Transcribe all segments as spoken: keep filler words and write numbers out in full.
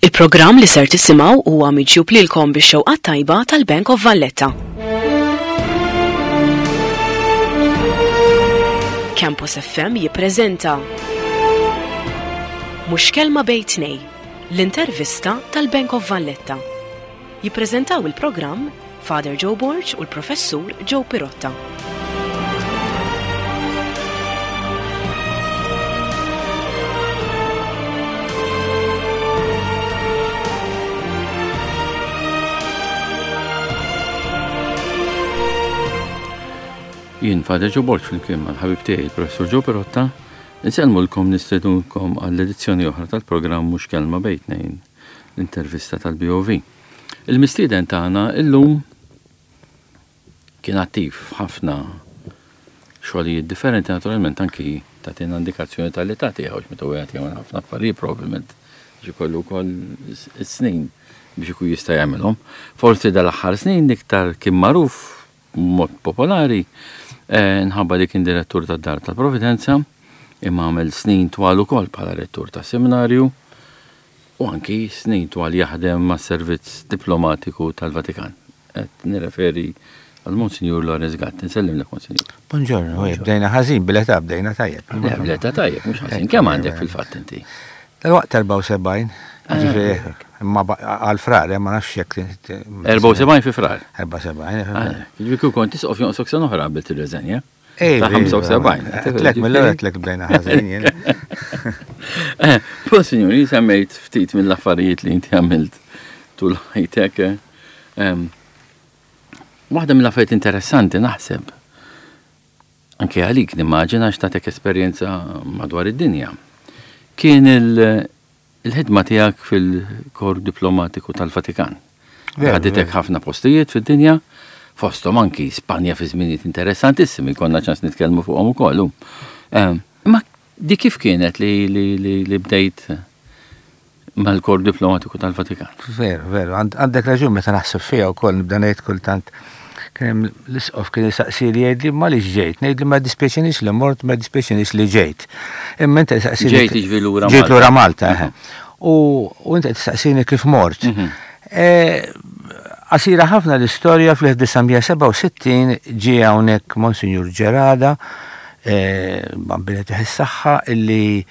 Il-programm li ser tisimgħu huwa miġjub lilkom bix-xewqat tajba tal-Bank of Valletta. Campus F M jippreżenta Mhux Kelma Bejn Tnejn, l-intervista tal-Bank of Valletta. Jippreżentaw il-programm Father Joe Borg u l-Professur Joe Pirotta. Jien Father Joe Borg flimkien mal-ħabib tiegħi il-Professur Joe Pirotta, insellmulkom, nistednukom għall-edizzjoni oħra tal-programm Mhux Kelma Bejn Tnejn, l-intervista tal-B O V. Il-mistieden tagħna illum kien attiv ħafna xogħlijiet differenti, naturalment anki tagħtina indikazzjoni tal-età tiegħu, meta wieħed jagħmel ħafna affarijiet probabbilment biex ikollu wkoll is-snin biex ikun jista' jagħmilhom. Forsi dal-aħħar snin iktar kien magħruf mod popolari eh, nħabba li kien direttur tad-Dar tal-Providenza, imma għamel snin twal ukoll bħala rettur ta' seminarju u anki snin twal jaħdem ma' servizz diplomatiku tal-Vatikan. Qed nirreferi għal Monsinjur Lawrence Gatt. Nsellimlek, Monsinjur. Buongiorno, bdejna ħażin bil-età, bdejna tajjeb. Le, bl-età tajjeb, mhux ħażin. Kemm għandek fil-fatt inti? Dal-waqt erbgħa u sebgħin, ġifieri, imma għal Frar, ma nafx jekk. erbgħa u sebgħin fi Frar. erbgħa u sebgħin. Ġifieri kieku kont tisqof jonqsok sena oħra qabel tirreżenja. Ej, Ta' ħamsa u sebgħin. Tlek, mill-ewwel tlek bdejna ħażin jien. Eh, Monsinjur, semmejt ftit mill-affarijiet li inti għamilt tul ħajtek. eh. Em, Waħda mill-affarijiet interessanti naħseb, anke għalik nimmaġina x'tatek esperjenza madwar id-dinja, kien il- il-ħidma tiegħek fil-kor diplomatiku tal-Vatikan. Veru, Ħaditek ħafna postijiet fid-dinja, fosthom anki Spanja fi żminijiet interessantissimi, konna ċans nitkellmu fuqhom ukoll. Em, Imma di kif kienet li, li, li, li bdejt mal-kor diplomatiku tal-Vatikan? Veru, veru, għand- għandek raġun, meta naħseb fija wkoll nibda ngħid kultant kien hemm l-isqof kien jisaqsi li jgħidli ma li ġejt, ngħidli ma dispjaċinix li mort, ma dispjaċinix li ġejt. Imma inti saqsini Ġejt jiġifieri lura Ġejt Malta. lura Malta, eħe. U u inti tistaqsini kif mort. Mhm. Eh, Qasira ħafna l-istorja, fl-elf disa' mija sebgħa u sittin ġie hawnhekk Monsinjur Gerada, eh, Bambin jagħtih is-saħħa, illi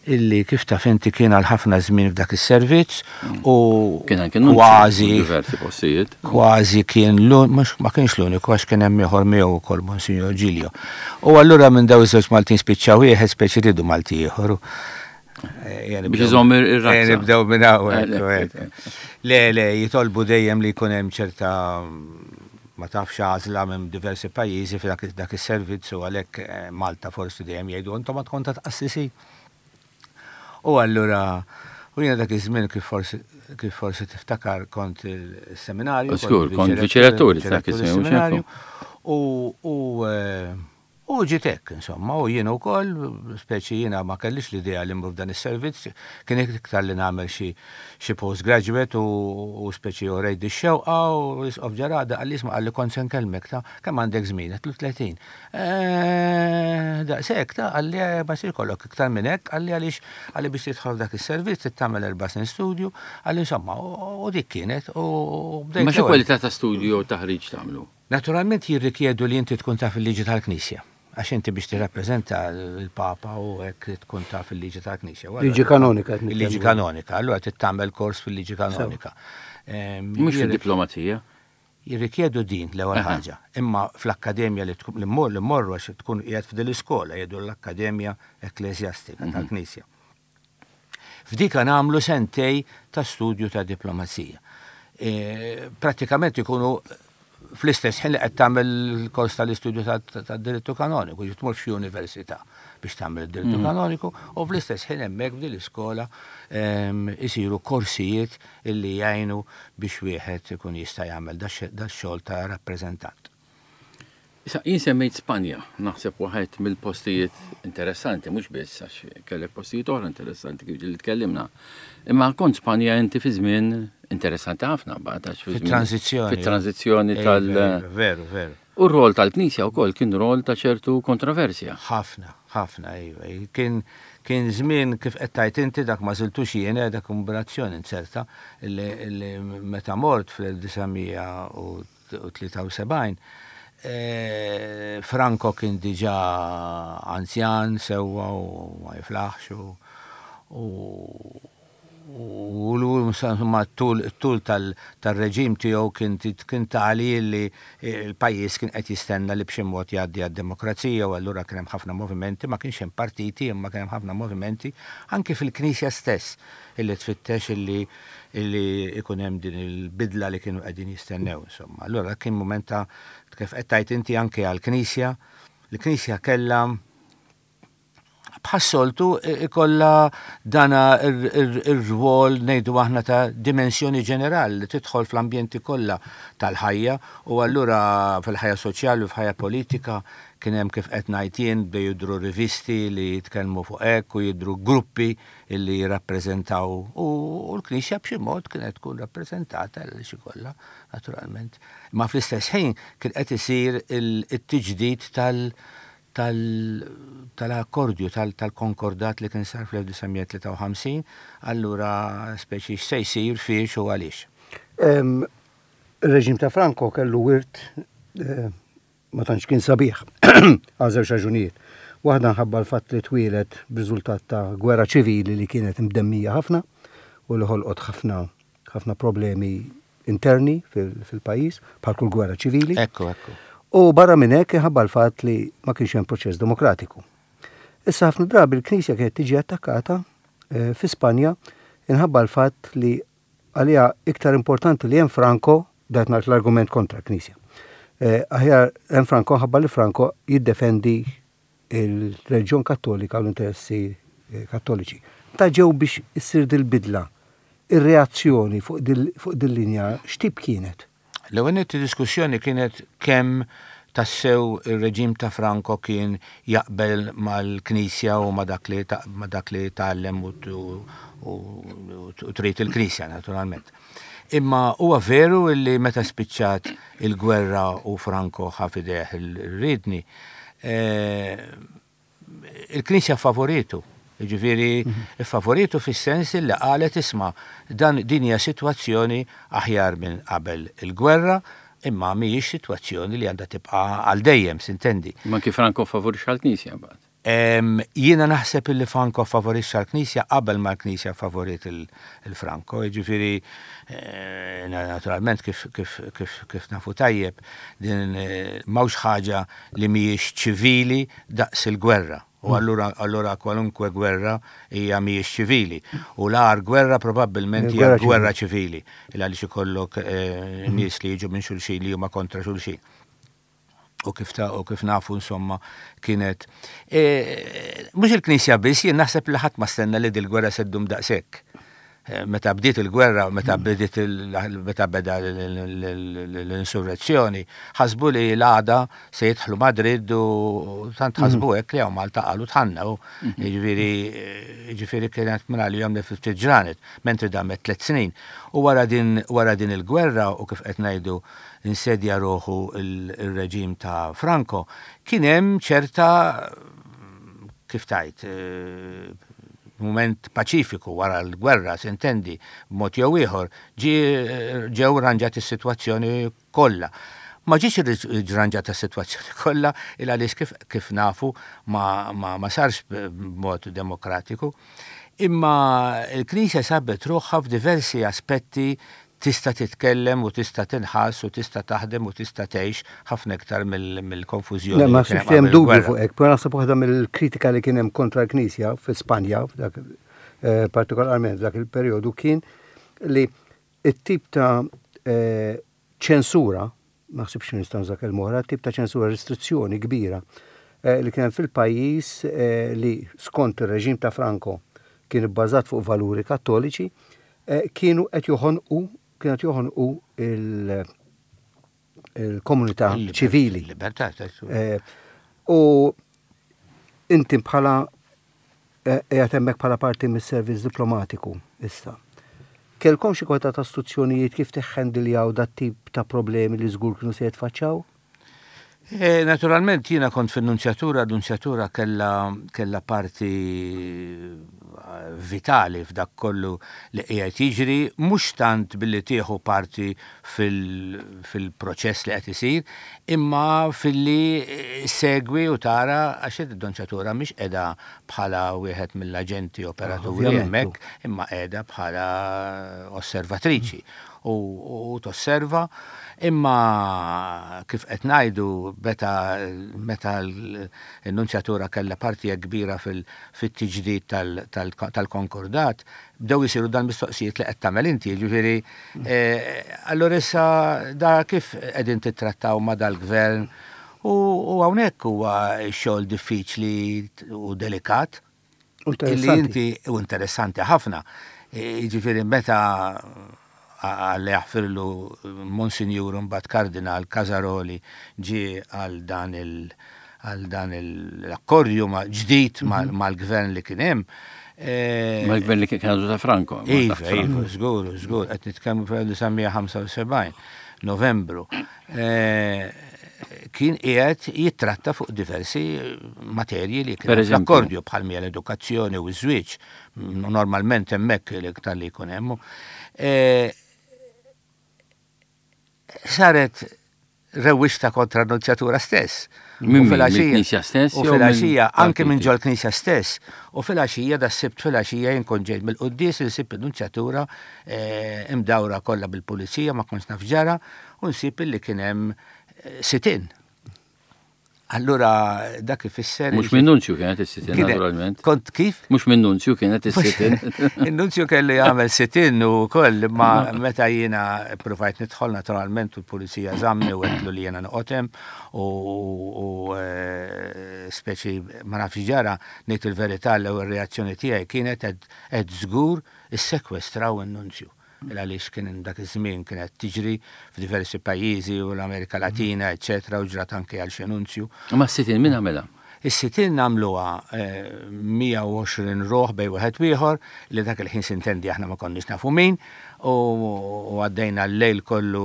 illi kif taf inti kien għal ħafna żmien f'dak is-servizz u Kien anke nunzju kważi diversi postijiet. Kważi kien l mhux ma kienx l-uniku, għax kien hemm ieħor miegħu wkoll, Monsinjur Giglio. U allura minn daw iż-żewġ Maltin spiċċaw wieħed, speċi ridu Malti ieħor. Eh, Biex iżomm ir- ir-razza. Eh, Nibdew minn hawn. Eh, hekk, le, hekk. Le, le, jitolbu dejjem li jkun hemm ċerta, ma tafx, għażla minn diversi pajjiżi fi dak dak is-servizz u għalhekk eh, Malta forsi dejjem jgħidu intom ma tkun ta' tqassisi. U allura u jiena dak iż-żmien, kif forsi kif forsi tiftakar, kont il-seminarju. Żgur, kont viċi-rettur dak iż-żmien, mhux seminarju. U u eh, u ġiet hekk, insomma, u jiena wkoll, speċi jiena ma kellix l-idea li mmur f'dan is-servizz, kien iktar li nagħmel xi xi postgraduate u, u speċi u rejt ix-xewqa u l-isqof Gerada qalli, "Isma'," qalli, "kont se nkellmek, ta' kemm għandek żmien?" Għedtlu tletin. "Eh, Daqshekk ta'," qalli, "eh, ma jsir kollok iktar minn hekk," qalli, "għaliex," qalli, "biex tidħol f'dak is-servizz trid tagħmel erba' snin studju," qalli, insomma, u u dik kienet u bdejt Ma xi l-ewwel. kwalità ta' studju u taħriġ tagħmlu? Naturalment jirrikjedu li inti tkun taf il-liġi tal-Knisja. Għax inti biex tirrappreżenta l-Papa u hekk tkun taf il-liġi tal-Knisja. U allura- Liġi kanonika qed Il-liġi nitkellmu. kanonika, allura trid tagħmel kors fil-liġi kanonika. Ehm, Mhux jirri- fid-diplomazija. Jirrikjedu din l-ewwel Aha. ħaġa. Imma fl-akkademja li tkun li mmur li mmorru, għax tkun qiegħed f'din l-iskola jgħidu l-Akkademja Ekklesjastika tal-Knisja. F'dika nagħmlu sentej ta' studju ta' diplomazija. E, pratikament ikunu fl-istess ħin li qed tagħmel il-kors tal-istudju tad-dirittu kanoniku, ġi tmur f'xi università biex tagħmel id-dirittu kanoniku u fl-istess ħin hemmhekk f'din l-iskola em, isiru korsijiet illi jgħinu biex wieħed ikun jista' jagħmel dax-xogħol ta' rappreżentant. Issa, jien semmejt Spanja, naħseb waħed mill-postijiet interessanti, mhux biss għax kellek postijiet oħra interessanti kif ġieli tkellimna. Imma kont Spanja inti fi żmien interessanti ħafna mbagħad għax fi żmien- Fit-transizzjoni. Fit-transizzjoni Eh, tal- Veru, veru, veru. U r-rol tal-Knisja wkoll kien rol ta' ċertu kontroversja. Ħafna, Ħafna, iva. Kien kien żmien kif qed tgħid inti dak ma żiltux jien eh, dak kombinazzjoni inzerta illi meta mort fl-elf disa' mija u tlieta u sebgħin eh, Franco kien diġà anzjan sewwa u ma jiflaħx u u l tul tul tal-reġim tiegħu kien kien tali li l-pajjiż kien qed jistenna li b'xi mod jgħaddi għad-demokrazija u allura kien hemm ħafna movimenti, ma kienx hemm partiti, imma kien hemm ħafna movimenti anke fil-Knisja stess illi tfittex illi illi ikun hemm din il-bidla li kienu qegħdin jistennew insomma. Allura kien moment ta' kif qed tgħid inti anke għall-Knisja, il-Knisja kellha bħas-soltu ikolla dana ir-rwol, ngħidu aħna, ta' dimensjoni ġenerali li tidħol fl-ambjenti kollha tal-ħajja u allura fil-ħajja soċjali u fil-ħajja politika kien hemm, kif qed ngħid jien, bdew jidhru rivisti li jitkellmu fuq hekk u jidhru gruppi li jirrappreżentaw u l-Knisja b'xi mod kienet tkun rappreżentata l xi kollha naturalment. Ma fl-istess ħin kien qed isir it-tiġdid tal- tal-akkordju tal-konkordat li kien sar fl-elf disa' mija tlieta u ħamsin, allura speċi x'se jsir, fiex u għaliex. Il-reġim ta' Franco kellu wirt eh, ma tantx kien sabiħ għal żewġ raġunijiet. Waħda nħabba l-fatt li twieled b'riżultat ta' gwerra ċivili li kienet imdemmija ħafna u li ħolqot ħafna ħafna problemi interni fil-pajjiż bħal kull gwerra ċivili. Ekku, ekku. U barra minn hekk ħabba l-fatt li ma kienx hemm proċess demokratiku. Issa ħafna drabi l-Knisja kienet tiġi attakkata eh, fi Spanja inħabba l-fatt li għalija iktar importanti li hemm Franco, dat ngħid l-argument kontra l-Knisja. Eh, aħjar hemm Franco ħabba li Franco jiddefendi il-reliġjon Kattolika u l-interessi eh, kattoliċi. Ta' ġew biex issir dil-bidla, ir-reazzjoni fuq dil-linja x'tip kienet? L-ewwel diskussjoni kienet kemm tassew ir-reġim ta' Franco kien jaqbel mal-Knisja u ma dak li ma dak li tgħallem u trid il-Knisja naturalment. Imma huwa veru li meta spiċċat il-gwerra u Franco ħa f'idejh ir-riedni, eh, il-Knisja favoritu. Ġifieri, mhm. favoritu fis-sens li qalet, "Isma', dan din hija sitwazzjoni aħjar minn qabel il-gwerra, imma mhijiex sitwazzjoni li għandha tibqa' għal dejjem", s'intendi. Ma kif Franco favorixxa l-Knisja mbagħad? Jiena naħseb illi Franco favorixxa l-Knisja qabel ma l-Knisja favorit il-Franco, ġifieri eh, naturalment kif, kif, kif, kif nafu tajjeb din eh, m'hawnx ħaġa li mhijiex ċivili daqs il-gwerra. U mm. allura allura kwalunkwe gwerra hija mhijiex ċivili. U l-agħar gwerra probabbilment hija gwerra ċivili. Il għaliex ikollok eh, mm. nies li jiġu minn xulxin li huma kontra xulxin. U kif ta' u kif nafu insomma kienet. E, mhux il-Knisja biss, jien naħseb li ħadd ma stenna li dil-gwerra se ddum daqshekk. E, meta bdiet il-gwerra, meta mm. bdiet meta beda l-insurrezzjoni, ħasbu li l-għada se jidħlu Madrid u tant ħasbu mm. hekk li hawn Malta qalu tħanna u mm-hmm. ġifieri ġifieri kienet minn għalihom li ftit ġranet, mentri damet tliet snin. U wara din wara din il-gwerra u kif qed ngħidu insedja ruħu il-reġim ta' Franco, kien hemm ċerta, kif tajt, eh, moment paċifiku wara l-gwerra, s'intendi, b'mod jew ieħor, ġew ranġat is-sitwazzjoni kollha. Ma ġietx ranġata s-sitwazzjoni kollha il għaliex kif, kif nafu ma, ma, ma sarx b'mod demokratiku. Imma il-Knisja sabet ruħha f'diversi aspetti tista' titkellem u tista' tinħass u tista' taħdem u tista' tgħix ħafna iktar mill-konfużjoni. Le, ma naħsibx li hemm dubju fuq hekk, però naħseb waħda mill-kritika li kien hemm kontra l-Knisja fi Spanja, eh, partikolarment f'dak il-perjodu, kien li it-tip ta' eh, ċensura, ma naħsibx nista' nuża kelma oħra, tip ta' ċensura, restrizzjoni kbira eh, li kien fil-pajjiż li skont ir-reġim ta' Franco kien ibbażat fuq valuri kattoliċi, kienu qed joħonqu kienet joħonqu il-komunità ċivili. Libertà. Eh, u inti bħala qiegħed hemmhekk bħala parti mis-servizz diplomatiku issa. Kellkom xi kwota ta' istruzzjonijiet kif teħħendiljaw dat tip ta' problemi li żgur kienu se jitfaċċaw? E, naturalment jiena kont fin-nunzjatura, l-nunzjatura kella, kella parti vitali f'dak kollu li qiegħed jiġri, mhux tant billi tieħu parti fil-proċess li qed isir, imma filli segwi u tara għax id-nunzjatura mhix qiegħda bħala wieħed mill-aġenti operaturi hemmhekk, imma qiegħda bħala osservatriċi u, u tosserva. Imma kif qed ngħidu, meta meta l-nunzjatura kellha parti kbira fil-tiġdid tal-konkordat, bdew isiru dan mistoqsijiet li qed tagħmel inti, jiġifieri allura issa da kif qegħdin tittrattaw ma' dal-gvern, u hawnhekk huwa xogħol diffiċli u delikat. Illi inti u interessanti ħafna. Jiġifieri meta għalli jaħfirlu Monsinjur mbagħad Kardinal Casaroli ġie għal dan il għal dan l-akkordju ġdid mal-gvern li kien hemm. Mal-gvern li kien għadu ta' Franco. Iva, iva, żgur, żgur, qed nitkellmu fl-elf disa' mija ħamsa u sebgħin, Novembru. Kien qiegħed jittratta fuq diversi materji li kien l-akkordju, bħal mija l-edukazzjoni u ż-żwieġ. Normalment hemmhekk l-iktar li jkun hemm. Saret rewwixta kontra n-nunzjatura stess. Minn mill-Knisja stess? U filgħaxija, anke minn ġol Knisja stess. U filgħaxija, da sibt filgħaxija jien kont ġejt mill-quddies, insib il-nunzjatura imdawra kollha bil-pulizija, ma kontx naf ġara, u nsib li kien hemm sit-in. Allura dak ifisser. Mhux minn nunzju kienet is-sit-in, naturalment. Kont kif? Mhux minn nunzju kienet is-sit-in. Il-nunzju kellu jagħmel sit-in u koll, ma meta jiena provajt nidħol, naturalment u l-pulizija żammni u għedtlu li jiena noqgħod hemm u speċi ma nafx ġara. Ngħid il-verità, l-ewwel reazzjoni tiegħi kienet qed żgur issekwestraw in-nunzju, għaliex kien dak iż-żmien kienet tiġri f'diversi pajjiżi u l-Amerika Latina, eċetera, u ġrat anke għal xi nunzju. Ma s-sit-in min għamilha? Is-sit-in għamluha mija u għoxrin ruħ bej wieħed ieħor li dak il-ħin, sintendi, aħna ma konniex nafu min, u għaddejna l-lejl kollu.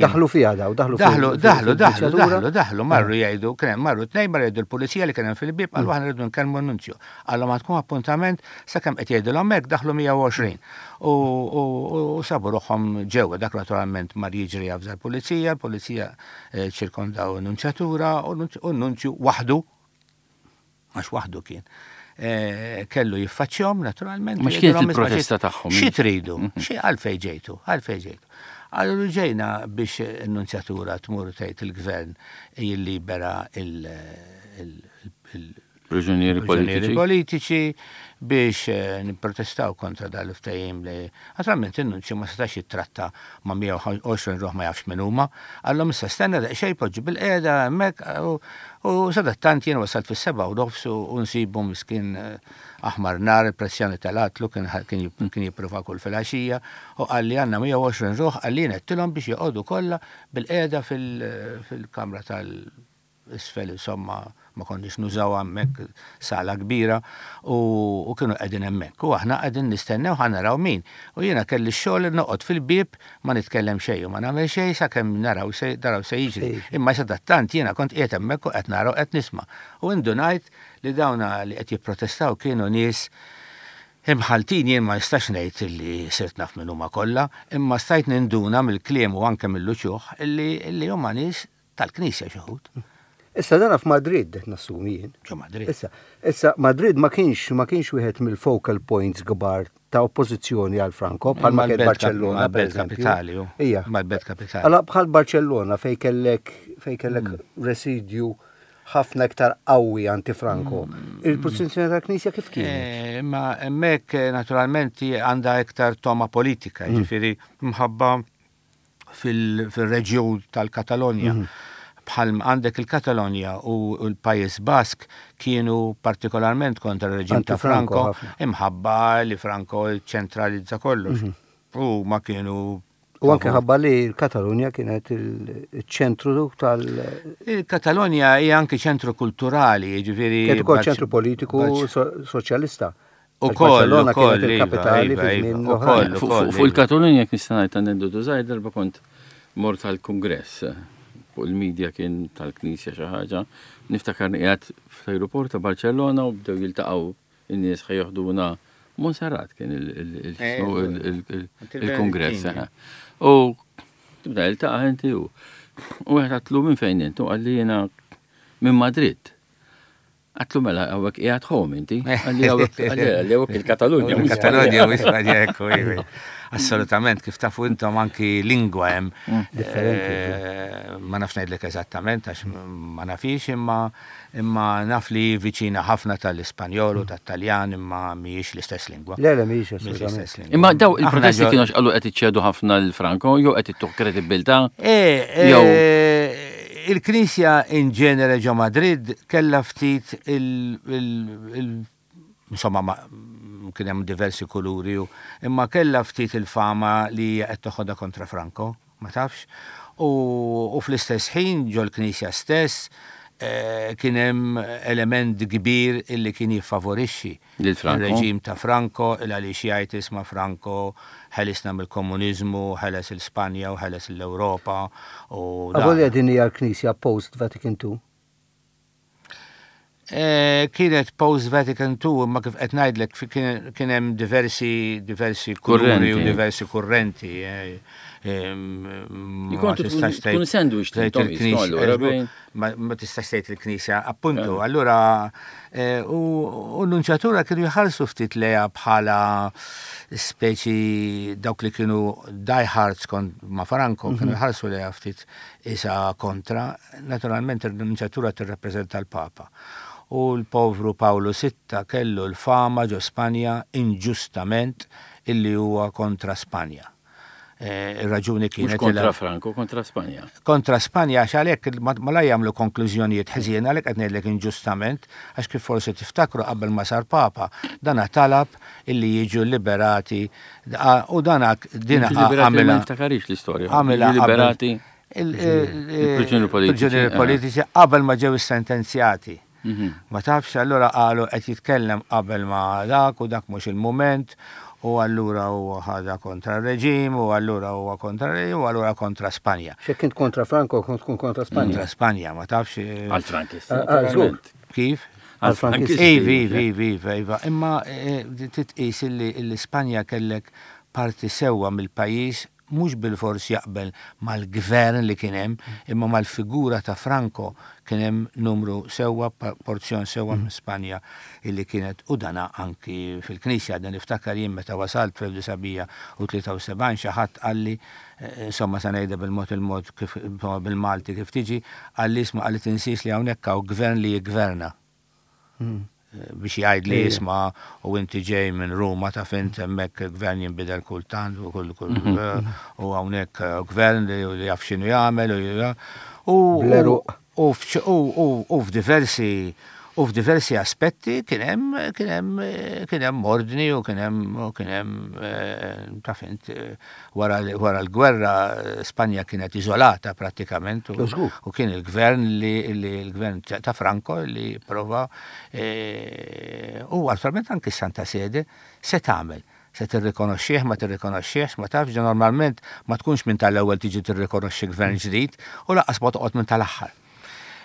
Daħlu fiha daw, daħlu. Daħlu, daħlu, daħlu, daħlu, daħlu, marru jgħidu, kien marru tnejn, marru jgħidu l-pulizija li kien hemm fil-bib, qalu aħna rridu nkellmu n-nunzju. Qallu ma tkun appuntament, sakemm qed jgħidu l-hemmhekk daħlu mija u għoxrin. U sabu ruħhom ġewwa. Dak naturalment mar jiġri javża l-pulizija, l-pulizija ċirkondaw n-nunzjatura u n-nunzju waħdu, għax waħdu kien, kellu jiffaċċjahom naturalment. Ma x'kienet il-protesta tagħhom? Xi tridu? Xi għalfej ġejtu? Għalfej ġejtu? Allura ġejna biex n-nunzjatura tmur tgħid il-gvern jillibera il- Priġunieri politiċi. Politiċi, biex nipprotestaw kontra dal-ftehim li naturalment in-nunzju ma setax jittratta ma' mija u għoxrin ruħ ma jafx min huma. Qallhom issa stenna daqsxejn, poġġu bil-qiegħda hemmhekk, u sadattant jien wasalt fis-sebgħa u nofs u nsibu miskin aħmar nar, il-pressjoni tal-atlu, kien jipprova kull filgħaxija, u qalli għandna mija u għoxrin ruħ, qalli għedtilhom biex joqogħdu kollha bil-qiegħda fil-kamra tal isfel, insomma, ma konniex nużaw hemmhekk sala kbira, u kienu qegħdin hemmhekk. U aħna qegħdin nistennew ħa naraw min. U jiena kelli x-xogħol noqgħod fil-bieb, ma nitkellem xejn u ma nagħmel xejn sakemm naraw se naraw se jiġri. Imma sadattant jiena kont qiegħed hemmhekk u qed naraw, qed nisma'. U indunajt li dawna li qed jipprotestaw kienu nies imħaltin. Jien ma nistax ngħid li sirt naf minn huma kollha, imma stajt ninduna mill-kliem u anke mill-uċuħ illi huma nies tal-Knisja xi wħud. Issa dana f'Madrid, nassumi jien. Ġo Madrid. Issa, issa Madrid ma kienx ma kienx wieħed mill-focal points kbar ta' oppożizzjoni għal Franco, bħal ma kien Barcellona. Mal-belt kapitali, Ija. Mal-belt kapitali. Alla bħal Barcellona fej kellek fej kellek residju ħafna iktar qawwi anti-Franco. Il-pożizzjoni tal-Knisja kif kienet? Ma hemmhekk naturalment għandha iktar toma politika, ġifieri mħabba fil-reġjun tal-Katalonja. Bħal għandek il-Katalonja u l-Pajjiż Bask kienu partikolarment kontra il-reġim ta' Franco, imħabba li Franco ċentralizza kollox. U ma kienu U anke ħabba li l-Katalonja kienet il-ċentru tal- Il-Katalonja hija anke ċentru kulturali, ġifieri. Kienet ukoll ċentru politiku soċjalista. U koll, Barcellona kienet il-kapitali fi żmien l-oħrajn. Fuq il-Katalonja kien nista' ngħid aneddotu żgħir. Darba kont mort għal-Kungress fuq il-medja kien tal-Knisja xi ħaġa. Niftakar qiegħed fl-aeroport ta' Barcellona u bdew jiltaqgħu in-nies ħa joħduna Monserrat kien il-kongress. U tibda jiltaqa' inti u u għedt għedtlu minn fejn intu, qalli jiena minn Madrid. Għedtlu mela hawnhekk qiegħed home inti, qalli hawnhekk il-Katalunja. Il-Katalunja u Ispanja, ekku, assolutament, kif tafu intom anki lingwa hemm. Differenti. Ma nafx ngħidlek eżattament għax ma nafix, imma imma naf li viċina ħafna tal-Ispanjol u tat-Taljan, imma mhijiex l-istess lingwa. Le, le, mhijiex assolutament. Imma daw il-protesti kienu x'qalu qed iċċedu ħafna l-Franco jew qed ittuh kredibilità? Il-Knisja in ġenere ġo Madrid kella ftit il- insomma, kien hemm diversi kuluri, imma kella ftit il-fama li qed toħodha kontra Franco, ma tafx. U fl-istess ħin ġol Knisja stess kien hemm element kbir illi kien jiffavorixxi il-reġim ta' Franco, il għaliex jgħid isma' Franco ħelisna mill-komuniżmu, ħeles il-Spanja u ħeles l-Ewropa. Avolja din hija l-Knisja post Vatican Two? Kienet post Vatican Two, imma kif qed ngħidlek kien hemm diversi diversi kuluri u diversi kurrenti. Ma tistax tgħid sandwich ma tistax tgħid il-Knisja, appuntu. Allura u l-nunċjatura kienu jħarsu ftit leja bħala speċi dawk li kienu diehards ma' Franco, kienu jħarsu leja ftit isa kontra. Naturalment il-nunċjatura tirrappreżenta l-Papa. U l-povru Paolo Sitta kellu l-fama ġo Spanja inġustament illi huwa kontra Spanja. Ir-raġuni kienet kontra Franco, kontra Spanja. Kontra Spanja, għax għalhekk ma la jagħmlu konklużjonijiet ħżiena, għalhekk qed ngħidlek inġustament, għax kif forsi tiftakru qabel ma sar Papa, dana talab illi jiġu liberati u dana dina għamilha. Ma niftakarix l-istorja. Għamilha liberati il-priġunieri politiċi. politiċi qabel ma ġew sentenzjati. Ma tafx, allura qalu qed jitkellem qabel ma dak u dak mhux il-mument, u allura huwa ħada kontra r-reġim, u allura huwa kontra r-reġim, u allura kontra Spanja. X'hekk kint kontra Franco, kont tkun kontra Spanja. Kontra Spanja, ma tafx. Għal-Frankisti. Kif? Għal-Frankisti. Iva, iva, iva, iva. Imma titqis illi Spanja kellek parti sewwa mill-pajjiż mhux bil-fors jaqbel mal-gvern li kien hemm, imma mal-figura ta' Franco kien hemm numru sewwa, porzjon sewwa minn Spanja illi kienet, u dana anki fil-Knisja. Dan niftakar jien meta wasalt fl-elf disa' u tlieta u sebgħin xi ħadd qalli, insomma sa ngħidha bil-mod il-mod kif bil-Malti kif tiġi, qalli isma', qalli tinsiex li hawnhekk hawn gvern li jiggverna. Biex jgħid li isma' u inti ġej minn Ruma ta' fint hemmhekk gvern jinbidel kultant u kull kull u hawnhekk gvern li jaf x'inhu jagħmel u u f'diversi u f'diversi aspetti kien hemm kien hemm kien hemm ordni u kien hemm u kien hemm ta' fint wara l-gwerra Spanja kienet iżolata prattikament u kien il-gvern li l-gvern ta' Franco li prova u attualment anki Santa Sede se tagħmel. Se tirrikonoxxih, ma tirrikonoxxihx, ma tafx, normalment ma tkunx minn tal-ewwel tiġi tirrikonoxxi gvern ġdid u lanqas ma toqgħod minn tal-aħħar.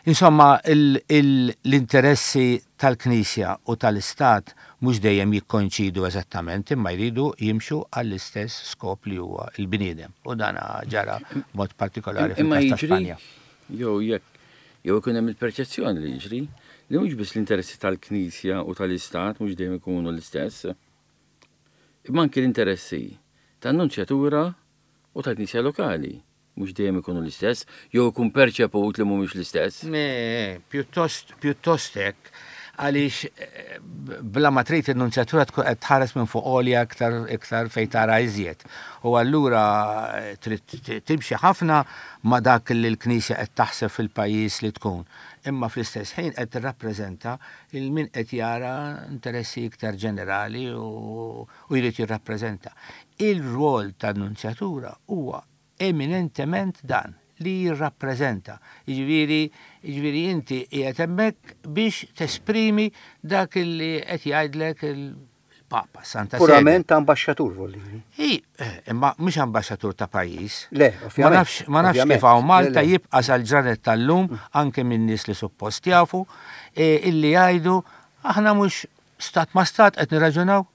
Insomma, l-interessi tal-Knisja u tal-Istat mhux dejjem jikkonċidu eżattament, imma jridu jimxu għall-istess skop li huwa l-bniedem. U dan ġara b'mod partikolari fil-każ ta' Spanja. Jew jekk jew ikun hemm il-perċezzjoni li jiġri li mhux biss l-interessi tal-Knisja u tal-Istat mhux dejjem ikunu l-istess, imma anki l-interessi tan-nunċjatura u tal-Knisja lokali mhux dejjem ikunu l-istess, jew ikun perċeput li mhumiex l-istess. Pjuttost pjuttost hekk, għaliex bla ma trid in-nunzjatura tkun qed tħares minn fuq għolja iktar iktar fejn tara iżjed. U allura trid timxi ħafna ma dak li l-Knisja qed taħseb fil-pajjiż li tkun. Imma fl-istess ħin qed tirrappreżenta il min qed jara interessi iktar ġenerali u jrid jirrappreżenta. Il-rwol tan-nunzjatura huwa eminentement dan li jirrappreżenta. Jiġifieri, jiġifieri inti qiegħed hemmhekk biex tesprimi dak li qed jgħidlek Il-Papa, Santa Sede. Purament ambaxxatur voldiri. I, eh, imma mhux ambaxxatur ta' pajjiż. Le, Ma ovvjament. nafx, ma nafx ovvjament. kif hawn Malta Le, le. jibqa' sal-ġranet tal-lum anke minn nies li suppost jafu eh, illi jgħidu aħna mhux stat ma stat qed nirraġunaw.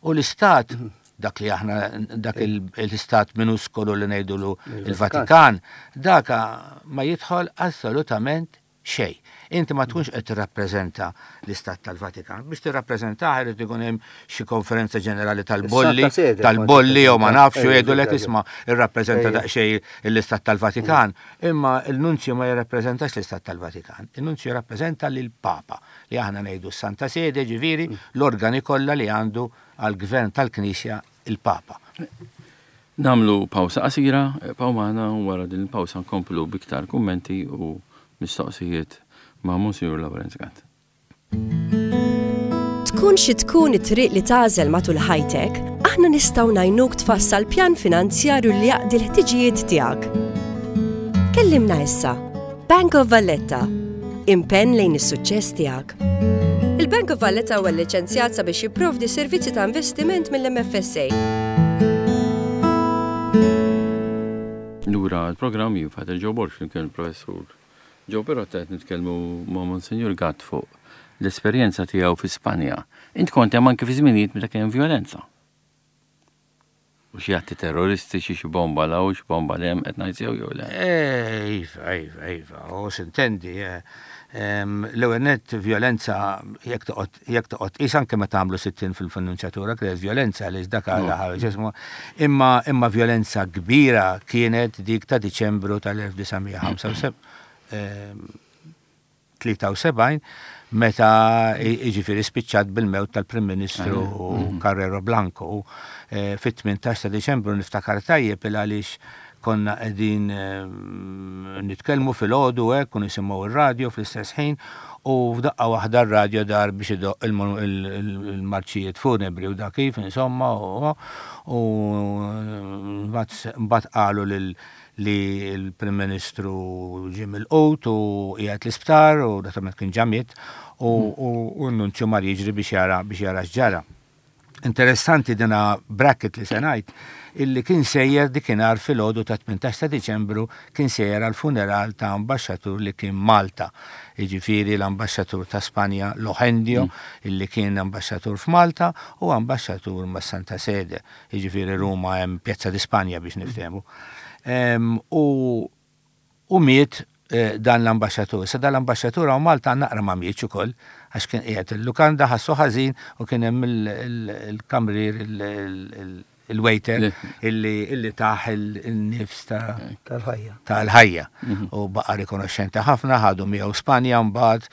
U l-istat dak li aħna dak il- l-istat minuskolu li ngħidulu il-Vatikan, daka ma jidħol assolutament xejn. Inti ma tkunx qed tirrappreżenta l-istat tal-Vatikan. Biex tirrappreżentah irid ikun hemm xi konferenza ġenerali tal-bolli, Is-Santa Sede tal-bolli jew ma nafx u Ejja, jgħidulek ejja. isma' irrappreżenta Ejja. daqsxejn l-istat tal-Vatikan, imma il-nunzju ma jirrappreżentax l-istat tal-Vatikan. Il-nunzju jirrappreżenta lil Papa li aħna ngħidu s-Santa Sede, ġifieri l-organi kollha li għandu għall-gvern tal-Knisja il-Papa. Nagħmlu pawsa qasira, ibqgħu magħna u wara din il-pawsa nkomplu b'iktar kummenti u mistoqsijiet ma' Monsignor Lawrence Gatt. Tkun xi tkun it-triq li tagħżel matul ħajtek, aħna nistgħu ngħinuk tfassal pjan finanzjarju li jaqdi l-ħtiġijiet tiegħek. Kellimna issa. Bank of Valletta. Impenn lejn is-suċċess tiegħek. Il-Bank of Valletta huwa liċenzjat sabiex jipprovdi servizzi ta' investiment mill-M F S A. Lura l-programm jien Father Joe Borg flimkien il-professur Joe Perotta qed nitkellmu ma' Monsignor Gatt fuq l-esperjenza tiegħu fi Spanja. Int kont hemm anke fi żminijiet meta kien hemm violenza. U xi atti terroristiċi, xi bomba 'l hawn, xi bomba 'l hemm, qed ngħid sew jew le? Eh, Iva, iva, iva, u s'intendi, eh, em, l-ewwel nett violenza jekk toqgħod jekk toqgħod qis anke meta għamlu sittin fil-nunzjatura kienet violenza li dak ġismu imma imma violenza kbira kienet dik ta' Diċembru tal-elf disa' mija tlieta u sebgħin meta jiġifieri spiċċat bil-mewt tal-Prim Ministru Carrero Blanco. Eh, Fit-tmintax ta' Diċembru niftakar tajjeb il għaliex konna qegħdin eh, nitkellmu fil-għodu hekk u nisimgħu ir-radio fl-istess ħin u f'daqqa waħda r-radio dar biex idoq il- il- il-marċijiet funebri u da kif insomma u u mbagħad qalu lil li l-Prim Ministru ġie milqut u qiegħed l-isptar u naturalment kien ġa miet u u n-nunzju mar jiġri biex jara biex jara x'ġara. Interessanti dina bracket li se ngħid illi kien sejjer dikinhar filgħodu ta' tmintax ta' Diċembru kien sejjer għal funeral ta' ambaxxatur li kien Malta. Jiġifieri l-ambaxxatur ta' Spanja Lojendio illi kien ambaxxatur f'Malta u ambaxxatur ma' Santa Sede. Jiġifieri Ruma hemm Pjazza di Spanja biex niftehmu. Em, U u miet eh, dan l-ambaxxatur. Sa dan l-ambaxxatur hawn Malta naqra ma mietx ukoll għax kien qiegħed il-lukanda ħassu ħażin u kien hemm il- il- il-kamrier il- il-waiter Le. illi illi tah il-nifs ta' Tal-ħajja. tal-ħajja u baqa rikonoxxenti ħafna, ħadu miegħu Spanja mbagħad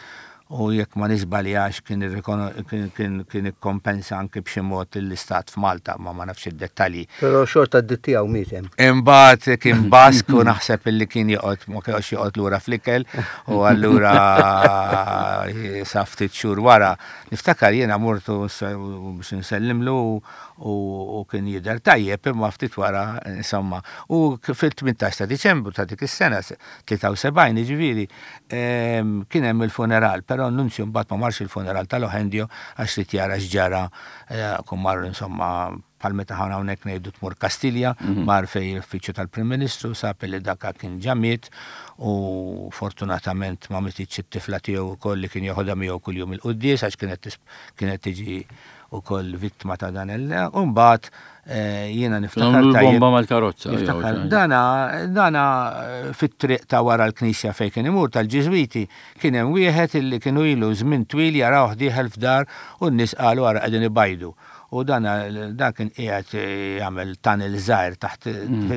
u jekk ma nisbaljax kien irrikono- kien kien kien ikkompensa anke b'xi mod l-istat f'Malta, ma ma nafx id-dettalji. Però xorta d tiegħu miet hemm. Imbagħad kien Bask u naħseb illi kien joqgħod ma kienx joqgħod lura fl-ikel u allura sa ftit xhur wara niftakar jiena mortu s- biex nsellimlu u, u kien jidher tajjeb imma ftit wara insomma. U k- fil-tmintax ta' Diċembru ta' dik is-sena tlieta u sebgħin jiġifieri em, kien hemm il-funeral, però n-nunzju mbagħad ma marx il-funeral tal-Ojendio għax li jara x'ġara eh, kum mar insomma bħal meta ħana hawnhekk ngħidu tmur Kastilja, mar fej l-uffiċċju tal-Prim Ministru, sab li daka kien ġa miet u fortunatament ma mititx it-tifla tiegħu wkoll li kien joħodha miegħu kuljum il-quddies għax kienet tis- kienet tiġi ukoll vittma ta' dan il U mbagħad eh, jiena niftakar Nagħmlu tajjeb- l-bomba mal-karozza. jew Niftakar, xi ħaġa. dana, dana eh, fit-triq ta' wara l-knisja fejn kien imur tal-Ġiżwiti kien hemm wieħed illi kienu ilu żmien twil jarawh dieħel f'dar u n-nies qalu ara qegħdin ibajdu. U dana dan kien qiegħed eh, jagħmel tunnel żgħir taħt